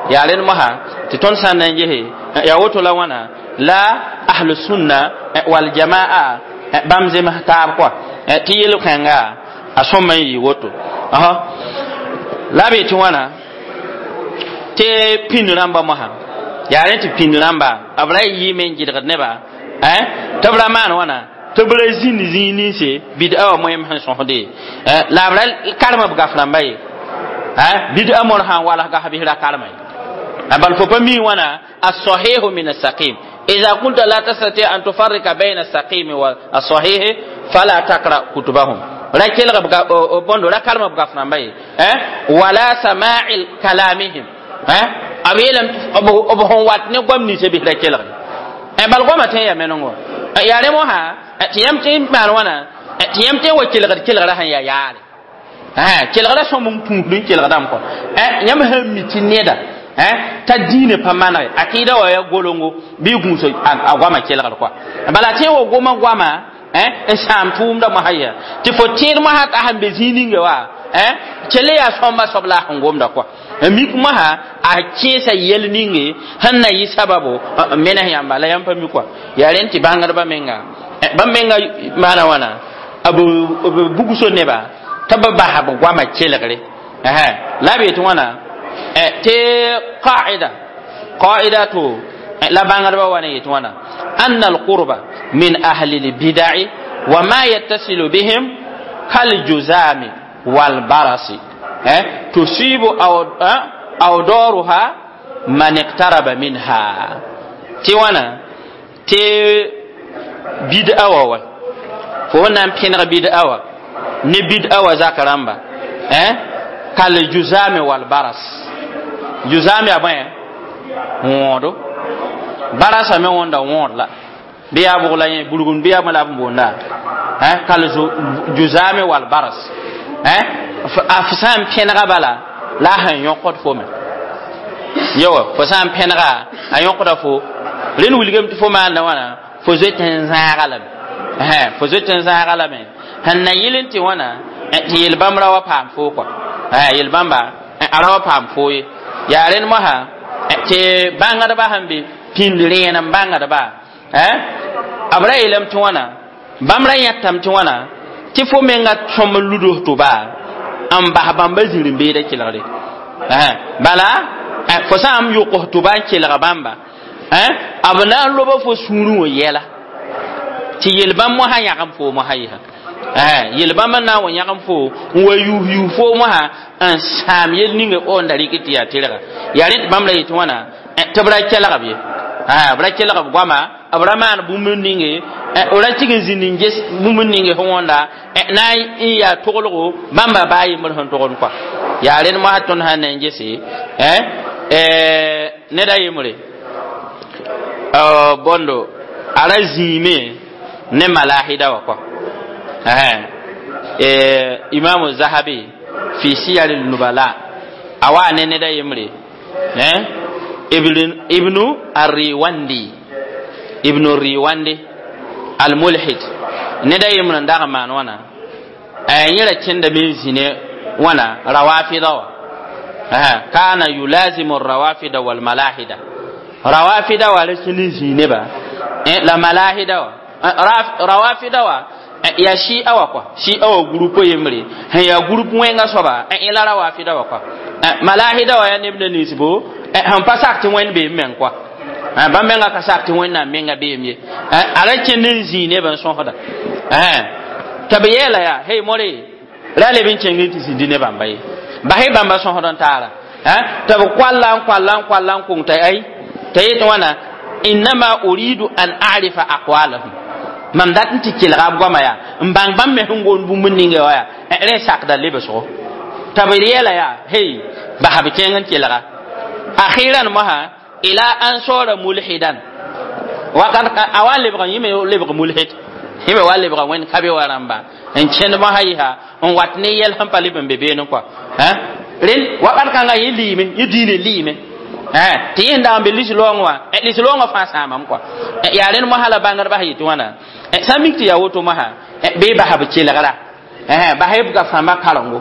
Speaker 1: yaa rẽnd mosã tɩ tõnd sã n na n gese yaa woto la wãna la ahlu sunna wal jamaa bãmb zems taab kɔa tɩ yel-kãnga a sõma n yɩ woto la be tɩ wãna tɩ pĩnd rãmba mosã yaa rẽ tɩ pĩnd rãmba b ra yɩɩme n gɩdgd neba tɩ b ra maan wãna tɩ b ra zĩnd zĩig ninse bid'a wã moeem sẽn sõsde la b ra karem b gaf rãmba ye bid'a mor sã n walg gas bɩs ra karema ye bal fo pa mi wãna الصحيح من السقيم. إذا كنت لا تستطيع أن تفرق بين السقيم والصحيح فلا تقرأ كتبهم. را kelg bõndo ra karem b gaf rãmba ye wala sama'i kalamihim b yeelame b sẽn wat ne goam ninsã bɩs ra kelgre bal goamã tõe n yaa menengo yaa rẽ mosã tɩ yãmb tõe n maan wãna tɩ yãmb tõe n wa kelgd kelgrã sẽn yaa yaare kelgrã sõm n tũusd n kelgdame kɔ yãmb sẽn mi tɩ neda t'a diinã pa manege akɩɩda wa yaa golongo bɩ gũus a goamã kelgr kɔa bala tẽ wa goma goamã n sãam tʋʋmda mosã yaa tɩ fo tẽed mosã t'a sẽn be zĩig ninga wa kell yaa sõmba soab la a sẽn gomda kɔa mik mosã a kẽesa yɛl ninge sẽn na yɩ sababo n menes yãmba la yãmb pa mi kɔa yaa rẽnd tɩ bãngdbã menga bãmb menga maana wãna b bugso neba tɩ b basa b goamã kelgre la b yetɩ wãna tɩ qaida qaida to la bãngdbã wa ne yetɩ wãna anna alqurba min ahli lbida'i wa ma yattasilu bihim kaljuzami walbarasi tusibu awdaruha man iqtaraba minha tɩ wãna tɩ bid'a wa wa fo na n pẽneg bid'a wa ne bid'a wa zak rãmba kaljuzami walbaras juzam yaa bõe wõodo barasa me wõnda wõod la bɩ yaa bʋg la yẽ burgund bɩ yaa bõe la b boonda kal juzame wal baras a f sã n pẽnega bala la a sẽn yõkd fo me yawa fo sã n pẽnega a yõkda fo rẽnd wilgame tɩ fo maanda wãna fo zoet n zãaga lame fo zoet n zãaga lame sẽn na yɩl n tɩ wãna tɩ yel-bãmb ra wa paam foo kɔa yel-bãmba a ra wa paam foo ye yaa rẽnd mosã tɩ bãngdbã sẽn be pĩnd rẽen n bãngdba b ra yeelame tɩ wãna bãmb ra yãtame tɩ wãna tɩ fo menga sõm n luds tʋba n bas bãmba zĩr-n-beedã kelgre bala fo sã n yʋks tʋba n kelg bãmba b na n loba fo sũurẽ wã yɛla tɩ yel-bãmb mosã yãgem foo mosã yɩsa yel-bãmb n na n wa yãgem fo n wa yuus yuus foo mosã n sãam yel ninga o n da rɩk tɩ yaa tɩrga yaa rẽ tɩ bãmb ra yetɩ wãna tɩ b ra kelg b ye b ra kelg b goama b ra maan bũmb ninge ra tig n zĩnd n ges bũmb ninge sẽn wõnda na n yaa toglgo bãmba baa yembr sẽn togd kɔa yaa rẽnd mosã tõnd sã n na n gese ned a yembre bõndo a ra zĩime ne malahida wã kɔa imamu zahabi fi siyar nubala a wa ne ned a yembre ibn ibnu ar-Riwandi ibnu Riwandi al-Mulhid neda yemr n dag n maan wãna yẽ ra kẽndame n zĩ ne wãna rawafida wa kana yulazimu rawafida walmalahida rawafida wa ra kẽnd n zĩig neba la malahida wa rawafida wa yaa shi'a wa kɔa shi'a wa groupe yembre sẽn yaa groupe wẽnga soaba yẽ la rawafida wa kɔa malahida wa yaa neb na nins bo sẽn pa sak tɩ wẽnd beem meng kɔa bãmb menga ka sak tɩ wẽnnaam menga beem ye a ra kẽnd n zĩig neb n sõsda tɩ b yeela yaa hey more ra leb n kẽng n tɩ zĩndi ne bãmba ye basɩ bãmba sõsd n taara tɩ b koalla n koalla n koalla n kong t'a ay t'a yet wãna innama uridu an arifa aqwalahum mam dat n tɩ kelga b goama yaa n bãng bãmb me sẽn gomd bũmb ninga wa yaa rẽ sakda lebsgo t'a b yeela yaa hey basa b kẽng n kelga akhiran mosa ila an sora mulhidan wakat a wa lebg yẽ me lebg mulhid yẽ me wa lebga wẽnd ka be wa rãmba n kẽnd mosã yɩsa n wat ne yɛl sẽn pa leb n be beene kɔa rẽnd wakat kãngã yẽ liime yẽ diine liime tɩ yẽ sẽn dag n be lis-loongã wã lis-loongã fãa sãamame kɔa yaa rẽnd mosã la bãngdbã sã yetɩ wãna sã n mik tɩ yaa woto mosã bɩ basa b kelgra basa b gaf-rãmbã karengo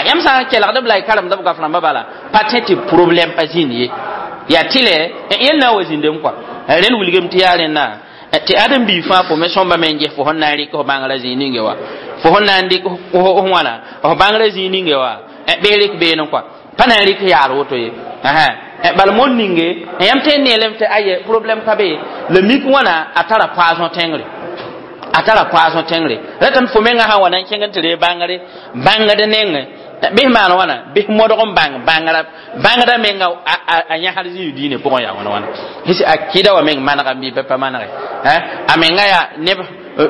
Speaker 1: yãmb sã n kelgd b la y karemd b gaf-rãmbã bala pa tẽ tɩ problɛm pa zĩnd ye yaa tɩlɛ yel na n wa zĩndame kɔa rẽnd wilgame tɩ yaa rẽnna tɩ ãdem-biig fãa fo me sõmba me n ges fo sẽn na n rɩk f bãngrã zĩig ninge wa fo sẽn na n dɩk f wãna f bãngrã zĩig ninge wa bɩ rɩk beene kɔa pa na n rɩk yaar woto ye bala mon ninge yãmb tõe n neelame tɩ aye problɛm ka be la mik wãna a tara poison tẽngre a tara poison tẽngre ratame fo menga sã n wa na n kẽng n tɩ ree bãngre bãngd nengẽ bɩs maan wãna bɩs modg n bãng bãngrã bãngda menga a yãsd zĩig diinã pʋgẽ yaa wãna wãna bɩs a kɩda wa meng manegame bɩ pa manege a menga yaa neb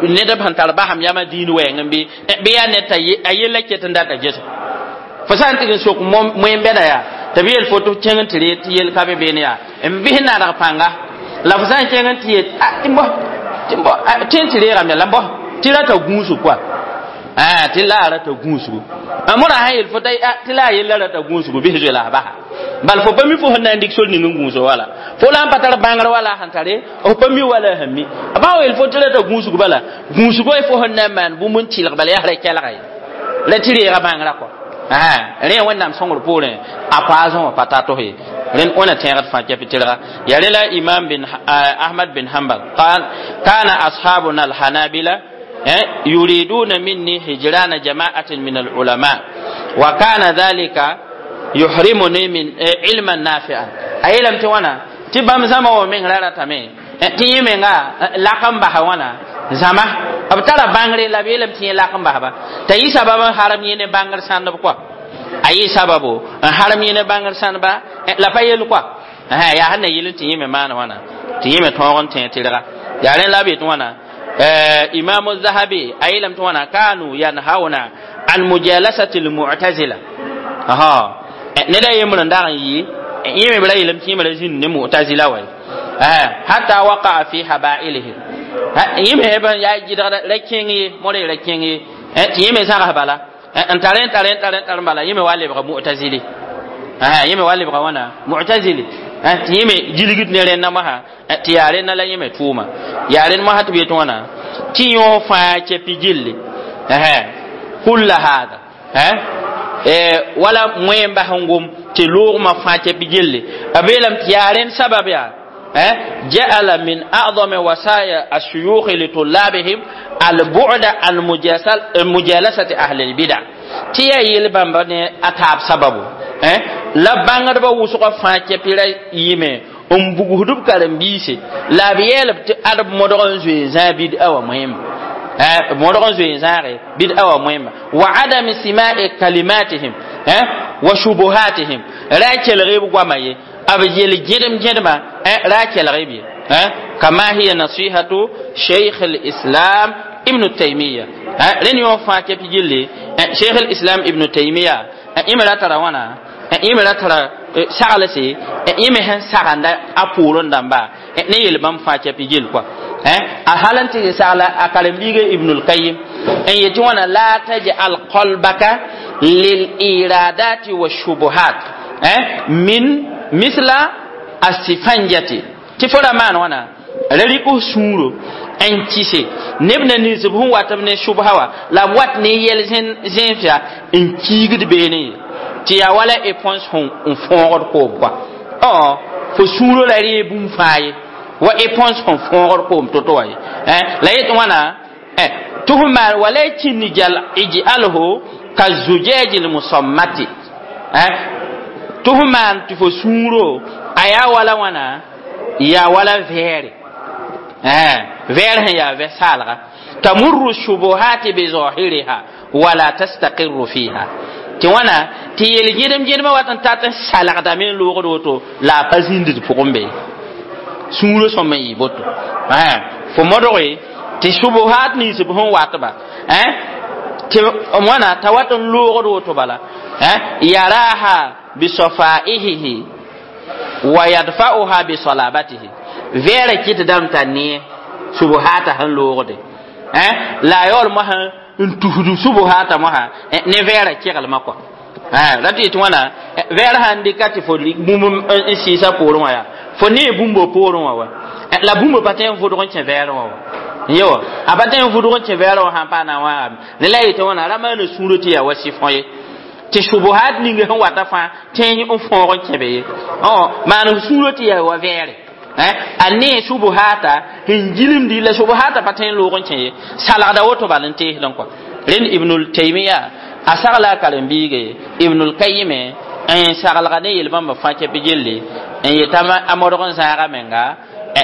Speaker 1: ned b sẽn tar basam yamã diin wɛɛng n bɩ bɩ yaa ned t'a a yella ket n data ges fo sã n tɩg n sok moen-bɛda yaa tɩ b yeel fo tɩ kẽng n tɩ ree tɩ yel ka be beene yaa n bɩs nadg pãnga la fo sã n kẽng n tɩ yet tɩ bõ tɩ bõ tɩ n tɩ reegame la bõ tɩ rata gũusg koa tɩ la a rata gũusgu modã sã yel fo tɩ la a yella rata gũusgu bɩs zoe la a basa bal fo pa mi fo sẽn na n dɩk sor ning n gũuso wala fo la n pa tar bãngr wala sẽn tare f pa mi wala a sẽn mi ba wa yel fo tɩ rata gũusg bala gũusgã fo sẽn na n maan bũmb n tɩlg bala yaa ra kelga ye la tɩ reega bãngrã kɔa rẽ wẽnnaam sõngr poorẽ a poasẽ wã pa tar tos ye rẽnd wẽna tẽegd fãa kɛpɩ tɩrga ya rẽ la imam bin ahmad bin hanbal قال كان أصحابنا الحنابلة يريدون مني هجران جماعة من العلماء وكان ذلك يحرمني من علما نافعا أي لم توانا تبام زما ومن لا تمي تي menga lakam baha wana zama b tara bãngre la b yeelame tɩ yẽ lak n basba t'a yɩ sabab n harem yẽ ne bãngr sãndb kɔa a yɩ sababo n harem yẽ ne bãngr sãndba la pa yel kɔa yaa sẽn na yɩl tɩ yẽ me maan wãna tɩ yẽ me tõog n tẽ tɩrga yaa rẽ la b yet wãna imam zahabi a yeelame tɩ wãna kanu yanhauna an mujalasati lmu'tazila ned a yembr n dag n yɩ yẽ me b ra yeelame tɩ yẽ me ra zĩnd ne mu'tazila wa hatta waqa'a fi haba'ilihim yẽ me b yaa gɩdgda ra kẽng ye modg ra kẽng ye tɩ yẽ me zãgs bala n tar n tar n tar n tar bala yẽ me wa lebga mu'tazili yẽ me wa lebga wãna mu'tazili tɩ yẽ me gilgd ne rẽnna mosã tɩ yaa rẽnna la yẽ me tʋʋma yaa rẽnd mosã tɩ b yet wãna tɩ yõ fãa kɛpɩ gilli kulla hada wala moen bas n gom tɩ loogmã fãa kɛpɩ gilli b yeelame tɩ yaa rẽnd sabab yaa جعل من أعظم وصايا الشيوخ لطلابهم البعد عن مجالسة أهل البدع تيا يلبان بني أتاب سببه la bãngdbã wʋsgã fãa kɛpɩra yɩme n bugsd b karen-biise la b yeelb tɩ ad b modg n zoe n zãag bid-a wã moẽmba b modg n zoe n zãage bid-a wã moẽmba wa adami sima'i kalimatihim wa shubuhatihim ra kelg b goama ye b yel gẽdem gẽdema ra kelg b ye kama hiya nasihatu sheikh al-islam ibn taymiya rẽnd yõ fãa kɛpɩ gilli sheikh al-islam ibn taymiya yẽ me ra tara wãna yẽ me ra tara saglse yẽ me sẽn sagenda a poorẽ dãmba ne yel bãmb fãa kɛpɩ gill kɔa a hal n tɩ sagla a karen-biiga ibn al-qayyim n yetɩ wãna la taj'al qalbaka lil iradati wa shubuhat min misla Asifanjati tɩ fo ra maan wãna ra rɩk f sũuro n kɩse neb na nins b sẽn wat b ne subsa wã la b wat ne yɛl zẽnsã n kiigd beene ye tɩ yaa wala éponge sẽn n fõogd koom kɔa õ fo sũuro ra ree bũmb fãa ye wa éponge sẽn fõogd koom to-to wã ye la yet wãna tɩ f maan walakin ij'alhu ka zujaji lmusammati tɩ f maan tɩ fo sũuro a yaa wala wãna yaa wala vɛɛre vɛɛr sẽn yaa vɛ-saalga tamurru shubuhati bizahiriha wala tastaqirru fiha tɩ wãna tɩ yel gẽdem gẽdemã wat n tat n salgdame n loogd woto la a pa zĩnd d pʋgẽ be sũurã sõm n yɩ boto fo modge tɩ subuhat nins b sẽn watba tɩ wãna t'a wat n loogd woto bala yaraha bisafaihihi wa yadfa'uha bisalabatihi vɛɛrã kɩt dãmb t'a nee subuhata sẽn loogde la a yaool mosã n tusd subuhata mosã ne vɛɛrã keglmã kɔa ra tɩ yetɩ wãna vɛɛr sãn dɩka tɩ fo bũmb n sɩɩsa poorẽ wã yaa fo nee bũmbo poorẽ wã wa la bũmb pa tõe n vʋdg n kẽ vɛɛrẽ wã wa ye wa a pa tõe n vʋdg n kẽ vɛɛrẽ wã sãn paa na n wãagame ne la yetɩ wãna ra maana sũurã tɩ yaa wa sɩfõ ye tɩ subuhat ning sẽn wata fãa tẽ n fõog n kẽ be ye maan sũurã tɩ yaa wa vɛɛre a nee subuhata sẽn gilemdi la subuhata pa tõe n loog n kẽ ye salgda woto bal n teesdẽ kɔa rẽnd Ibnul Taymiya a sagla a karen-biige Ibnul Kayime n saglga ne yel-bãmba fãa kɛp gelle n yeta a modg n zãaga menga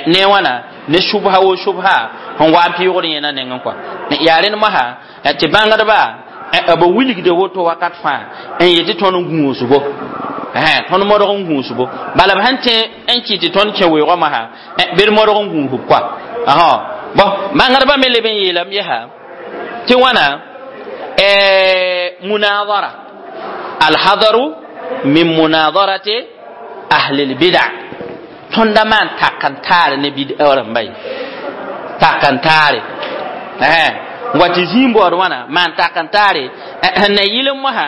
Speaker 1: ne wãna ne subha wo subha sẽn wa n pɩʋgd yẽna nengẽ kɔa yaa rẽnd mosã tɩ bãngdba b wilgda woto wakat fãa n yetɩ tõnd n gũusbo tõnd modg n gũusbo bala b sẽn tẽ n kɩt tɩ tõnd kẽ weoogã mosã bɩ d modg n gũusb kɔa bõn bãngdbã me leb n yeelame yesa tɩ wãna munadara alhadaru min munadarati ahli lbida tõnda maan tak n taare ne bid'a rãmba ye tak n taare wa tɩ zĩig baood wãna maan tak n taare sẽn na yɩl n mosã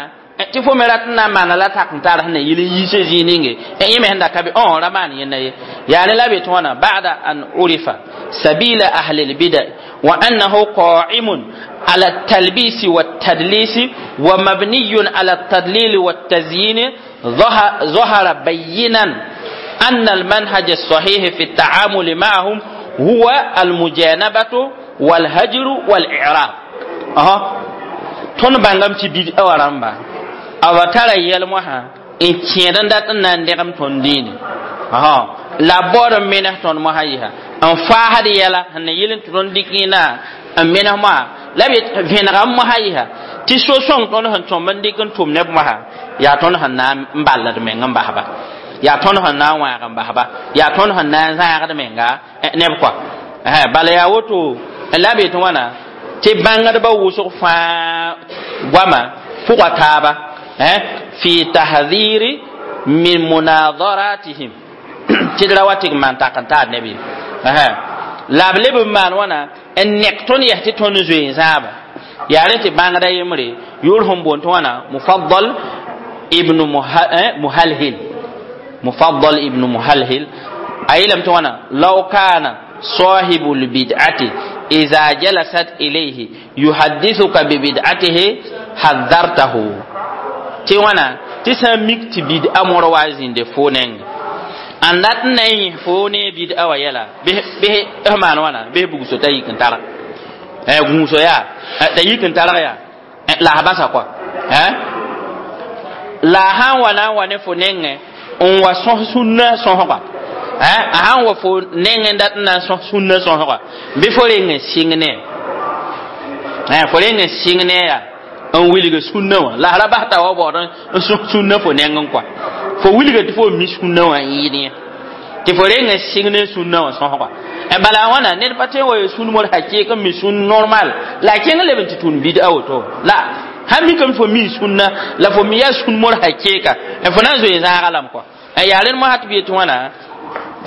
Speaker 1: tɩ fo me rat n na n maana la tak n taar sẽn na yɩl n yiisã zĩig ninge yẽ me sẽn da ka be õ ra maan yẽnda ye yaa ne la be tɩ wãna ba'da an urifa sabila ahli lbida wa annahu qa'imun ala التلبيس والتدليس ومبني على التدليل والتزيين ظهر بينا أن المنهج الصحيح في التعامل معهم هو المجانبة والهجر والإعراض أها tõnd bãngame tɩ bid'a wã rãmba b tara yɛl-mosã n kẽed n dat n na n dẽgem tõnd dĩine la b baood n menes tõnd mosã yɩsa n faasd yɛla sẽn na yɩl n tɩ tõnd dɩk yẽna n menes mosã la b vẽnega n mosã yɩsa tɩ so-sõng tõnd sẽn tõmb n dɩk n tʋm neb mosã yaa tõnd sẽn na n balld meng n basba yaa tõnd sẽn na n wãag n basba yaa tõnd sẽn na n zãagd menga neb kɔa bala yaa woto la b yetɩ wãna tɩ bãngdbã wʋsg fãa goama pʋga taaba fi tahdiri min munadaratihim tɩ d ra wa tɩ g maan tak n taar neb ye la b leb n maan wãna n nek tõnd yɛs tɩ tõnd zoe n zãaba yaa rẽ tɩ bãngda yembre yʋʋr sẽn boond tɩ wãna Mufaddal ibn Muhalhil Mufaddal ibn Muhalhil a yeelame tɩ wãna law kana صاحب البدعة إذا جلست إليه يحدثك ببدعته حذرته tɩ wãna tɩ sã n mik tɩ bid'a mor wa zĩnde fo neng n dat n na n yẽ fo ne bid'a wã yɛla bɩ maan wãna bɩ bugso t'a yik n targ gũuso yaa t'a yik n targ yaa la a basa kɔa la a sã n wa na n wa ne fo nengẽ n wa sõs sũnna sõsga a sãn wa fo nengẽ dat n na n sõs sũnna sõsga bɩ fo reng n sɩng ne fo reng n sɩng ne yaa n wilg sũnna wã la ra bas t'a wa baood n sõs sũnna fo nengẽ kɔa fo wilga tɩ fo mi sũnna wã n yɩɩd yẽ tɩ fo reng n sɩng ne sũnna wã sõsga bala wãna ned pa tõe n wa ya sũn mor hakɩɩk n mi sũn normal la a kẽng leb n tɩ tũud bid'a woto la sãn mikame fo mi sũnna la fo mi yaa sũn mor hakɩɩka fo na n zoe n zãaga lame kɔa yaa rẽnd mosã tɩ b yetɩ wãna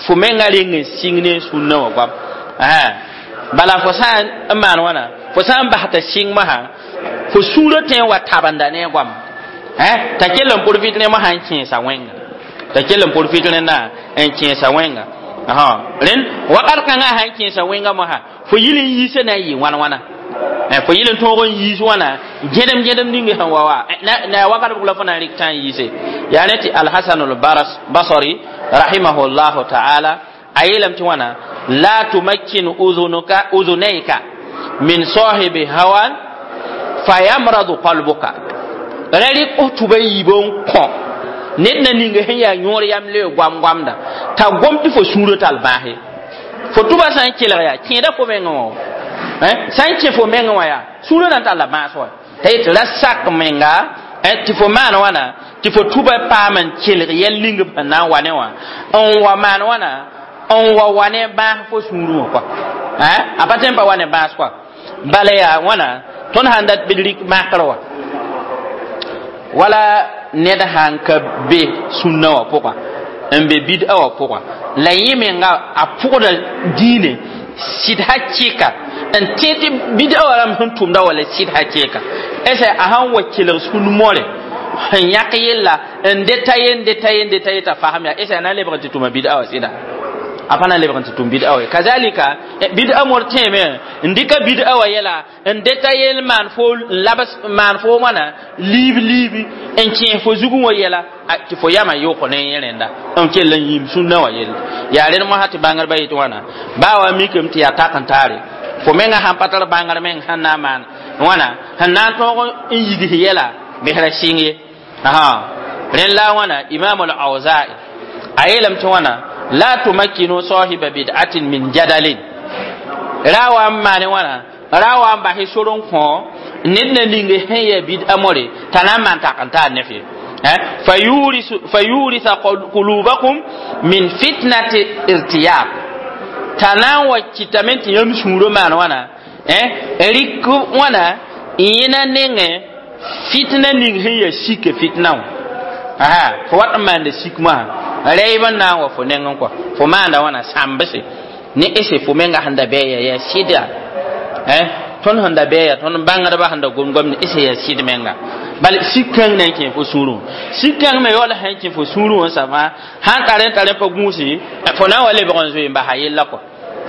Speaker 1: fo menga reng n sɩng ne sũnna wã goam bala fo sã n maan wãna fo sã n bas t'a sɩng mosã fo sũurã tõe n wa tabenda ne a goam t'a kell n profit ne mosã n kẽesa wẽnga T'a kell n profit rẽndã n kẽesa wẽnga. Rẽnd wakat kãngã sã n kẽesa wẽnga mosã, fo yil n yiisã na n yɩ wãn wãna, fo yil n tõog n yiis wãna gẽdem gẽdem ning sẽn wa wa na wakat bʋg la fo na n rɩk tã n yiise. Yaa rẽ tɩ Alhasan Albasri rahimahullahu taala a yeelame tɩ wãna: la tumakkin uzunuka uzunayka min sahibi hawan fayamradu qalbuka. Ra rɩk f tʋba yiib n kõ ned na ning sẽn yaa yõor yam le goam-goamda t'a gom tɩ fo sũurã tall bãase. Fo tʋba sã n kelg yaa kẽeda fo mengẽ wã, sã n kẽ fo mengẽ wã yaa sũurã na n talla bãas wa t'a yet ra sak menga tɩ fo maan wãna tɩ fo tʋba paam n kelg yɛl ning b sẽn na n wa ne wã n wa maan wãna n wa wa ne bãas fo sũurẽ wã kɔa, a pa tõe n pa wa ne bãas kɔa. Bala yaa wãna tõnd sãn dat bɩ d rɩk makr wa wala ned sãn ka be sũnna wã pʋga n be bid'a wã pʋga la yẽ menga a pʋgda diine sɩd hakɩka n tẽ tɩ bid'a wã rãmb sẽn tʋmda wala sɩd hakɩka ese a sãn wa kelg sũn more sẽn yãk yella n detaye n detaye n detaye t'a fasem yaa ese a na n lebg n tɩ tʋma bid'a wã sɩda a pa na n lebg n tɩ tʋm bid'a wã. Kazalika bid'a mor tẽeme n dɩka bid'a wã yɛla n detaye n maan fo labs maan fo wãna liib liibi n kẽes fo zugẽ wã yɛla tɩ fo yama yʋk ne yẽ rẽnda n kell n yĩm sũnna wã yelle. Yaa rẽnd mosã tɩ bãngrba yetɩ wãna baa wa mikame tɩ yaa tak n taare fo menga sãn pa tar bãngr meng sẽn na n maan wãna sẽn na n tõog n yigs yɛla bɩsra sɩng ye. Rẽnd la wãna Imam al-Awza'i a yeelame tɩ wãna: la tumakkinu sahiba bid'atin min jadalin. Ra wa n maane wãna ra wa n bas sor n kõ ned na ning sẽn yaa bid'a more t'a na n maan tak n taar ne f ye fayurisa qulubakum min fitnati irtiyab t'a na n wa kɩtame tɩ yãmb sũurã maan wãna rɩk wãna yẽna nengẽ fitna ning sẽn yaa sika fitna wã fo wat n maanda sik mosã rɛɛb n na n wa fo nengẽ kɔa fo maanda wãna sãmbse ne ese fo menga sẽn da bɛɛ yaa sɩda tõnd sẽn da bɛɛ yaa tõnd bãngdbã sẽn da gom gomd ese yaa sɩd menga bal sik kãng na n kẽ fo sũurẽ sik kãng me yaool sã n kẽ fo sũurẽ wã sã fãa sãn tar n tar n pa gũusi fo na n wa lebg n zoe n basa yella kɔ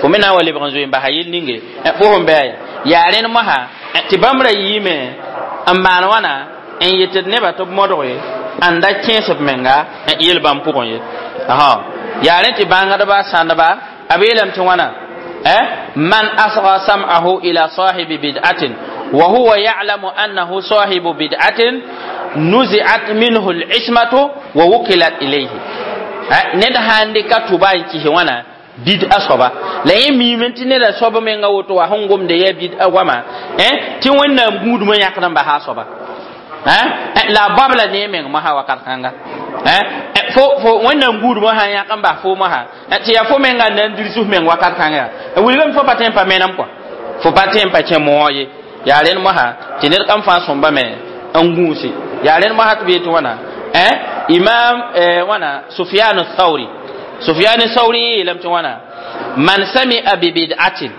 Speaker 1: fo me na n wa lebg n zoe n basa yell ninge fo sẽn bɛɛ yaa rẽnd mosã tɩ bãmb ra yiime n maan wãna n yetd nebã tɩ b modge n da kẽes b menga yel bãmb pʋgẽ ye. Yaa rẽ tɩ bãngdba sãndba b yeelame tɩ wãna: man asga sam'ahu ila sahibi bid'atin wa huwa ya'lamu annahu sahibu bid'atin nuzi'at minhu al-ismatu wa wukilat ilayhi. Ned sãn dɩka tʋba n kɩs wãna bid'a soaba la yẽ miime tɩ neda soab menga woto wa sẽn gomda yaa bid'a goama tɩ Wẽnnaam gũudmã yãkd n basa a soaba la a babla ne meng mosã wakat kãnga fo fo Wẽnnaam gũudmã sã n yãk n bas fo mosã tɩ yaa fo menga n na n dirs f meng wakat kãnga yaa wilgame fo pa tõe n pa menem kɔa fo pa tõe n pa kẽ moog ye. Yaa rẽnd mosã tɩ ned kam fãa sõmba me n gũuse. Yaa rẽnd mosã tɩ b yetɩ wãna Imam wãna Sufyan Thauri Sufyan Thauri yeelame tɩ wãna: man sami'a bi bid'atin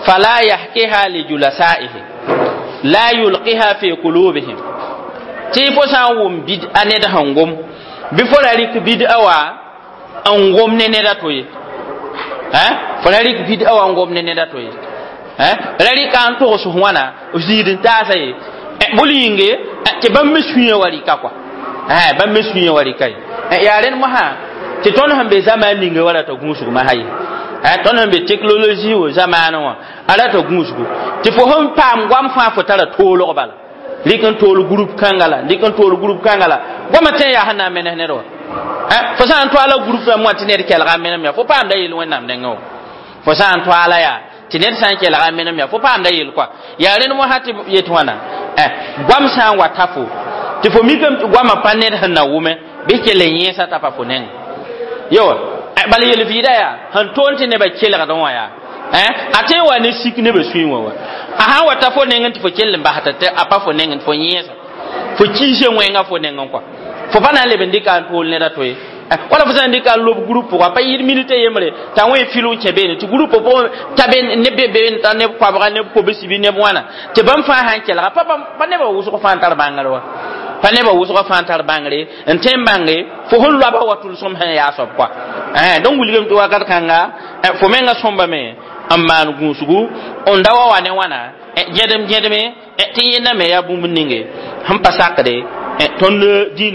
Speaker 1: fala yahkiha li julasaihi la yulqiha fi qulubihim. Tɩ fo sã n wʋm bid'a ned sẽn gom bɩ fo ra rɩk bid'a wa n gom ne ned a to ye, fo ra rɩk bid'a wa n gom ne ned a to ye, ra rɩka n togs wãna zĩid n taasa ye bol yĩnge tɩ bãmb me sũyã wa rɩka kɔa bãmb me sũyã wa rɩka ye. Yaa rẽnd mosã tɩ tõnd sẽn be zamaan ninga wa rata gũusg masã ye tõnd sẽn be teknologi wã zamaanẽ wã a rata gũusgu tɩ fo sẽn paam goam fãa fo tara toolg bala rɩk n tool group kãnga la rɩk n tool group kãnga la goamã tẽ yaa sẽn na n menes ned wã fo sã n toala group rãmb wã tɩ ned kelga n menem yaa fo paamda yel Wẽnnaam nengẽ wã fo sã n toala yaa tɩ ned sã n kelga n menem yaa fo paamda yel kɔa. Yaa rẽnd mosã tɩ yet wãna goam sã n wa ta fo tɩ fo mikame tɩ goamã pa ned sẽn na wʋme bɩ kell n yẽesa t'a pa fo nengẽ yo bala yel-vɩɩda yaa sẽn toon tɩ nebã kelgdẽ wã yaa a tõe n wa ne sik nebã sũyẽ wã wa a sãn wa ta fo nengẽ tɩ fo kell n basda tɩ a pa fo nengẽ tɩ fo yẽesa fo kiise wẽnga fo nengẽ kɔa fo pa na n leb n dɩka n tool ned a to ye wala fo sã n dɩka n lob group pʋga pa yɩɩd minute yembre t'a wẽ fil n kẽ beene tɩ group pʋgẽ t'a be neb be beene t'a neb koabga neb kobsi bɩ neb wãna tɩ bãmb fãa sã n kelga pa pa nebã wʋsg fãa n tar bãngr wa pa Pa nebã wʋsgã fãa n tar bãngre n tõe n bãnge fo sẽn loaba wa tʋlsem sẽn yaa soab koa. Donc wilgame tɩ wakat kãnga fo menga sõmbame n maan gũusgu n da wa wa ne wãna gẽdem gẽdme tɩ yẽnda me yaa bũmb ninge sẽn pa sakde tõnd diinã.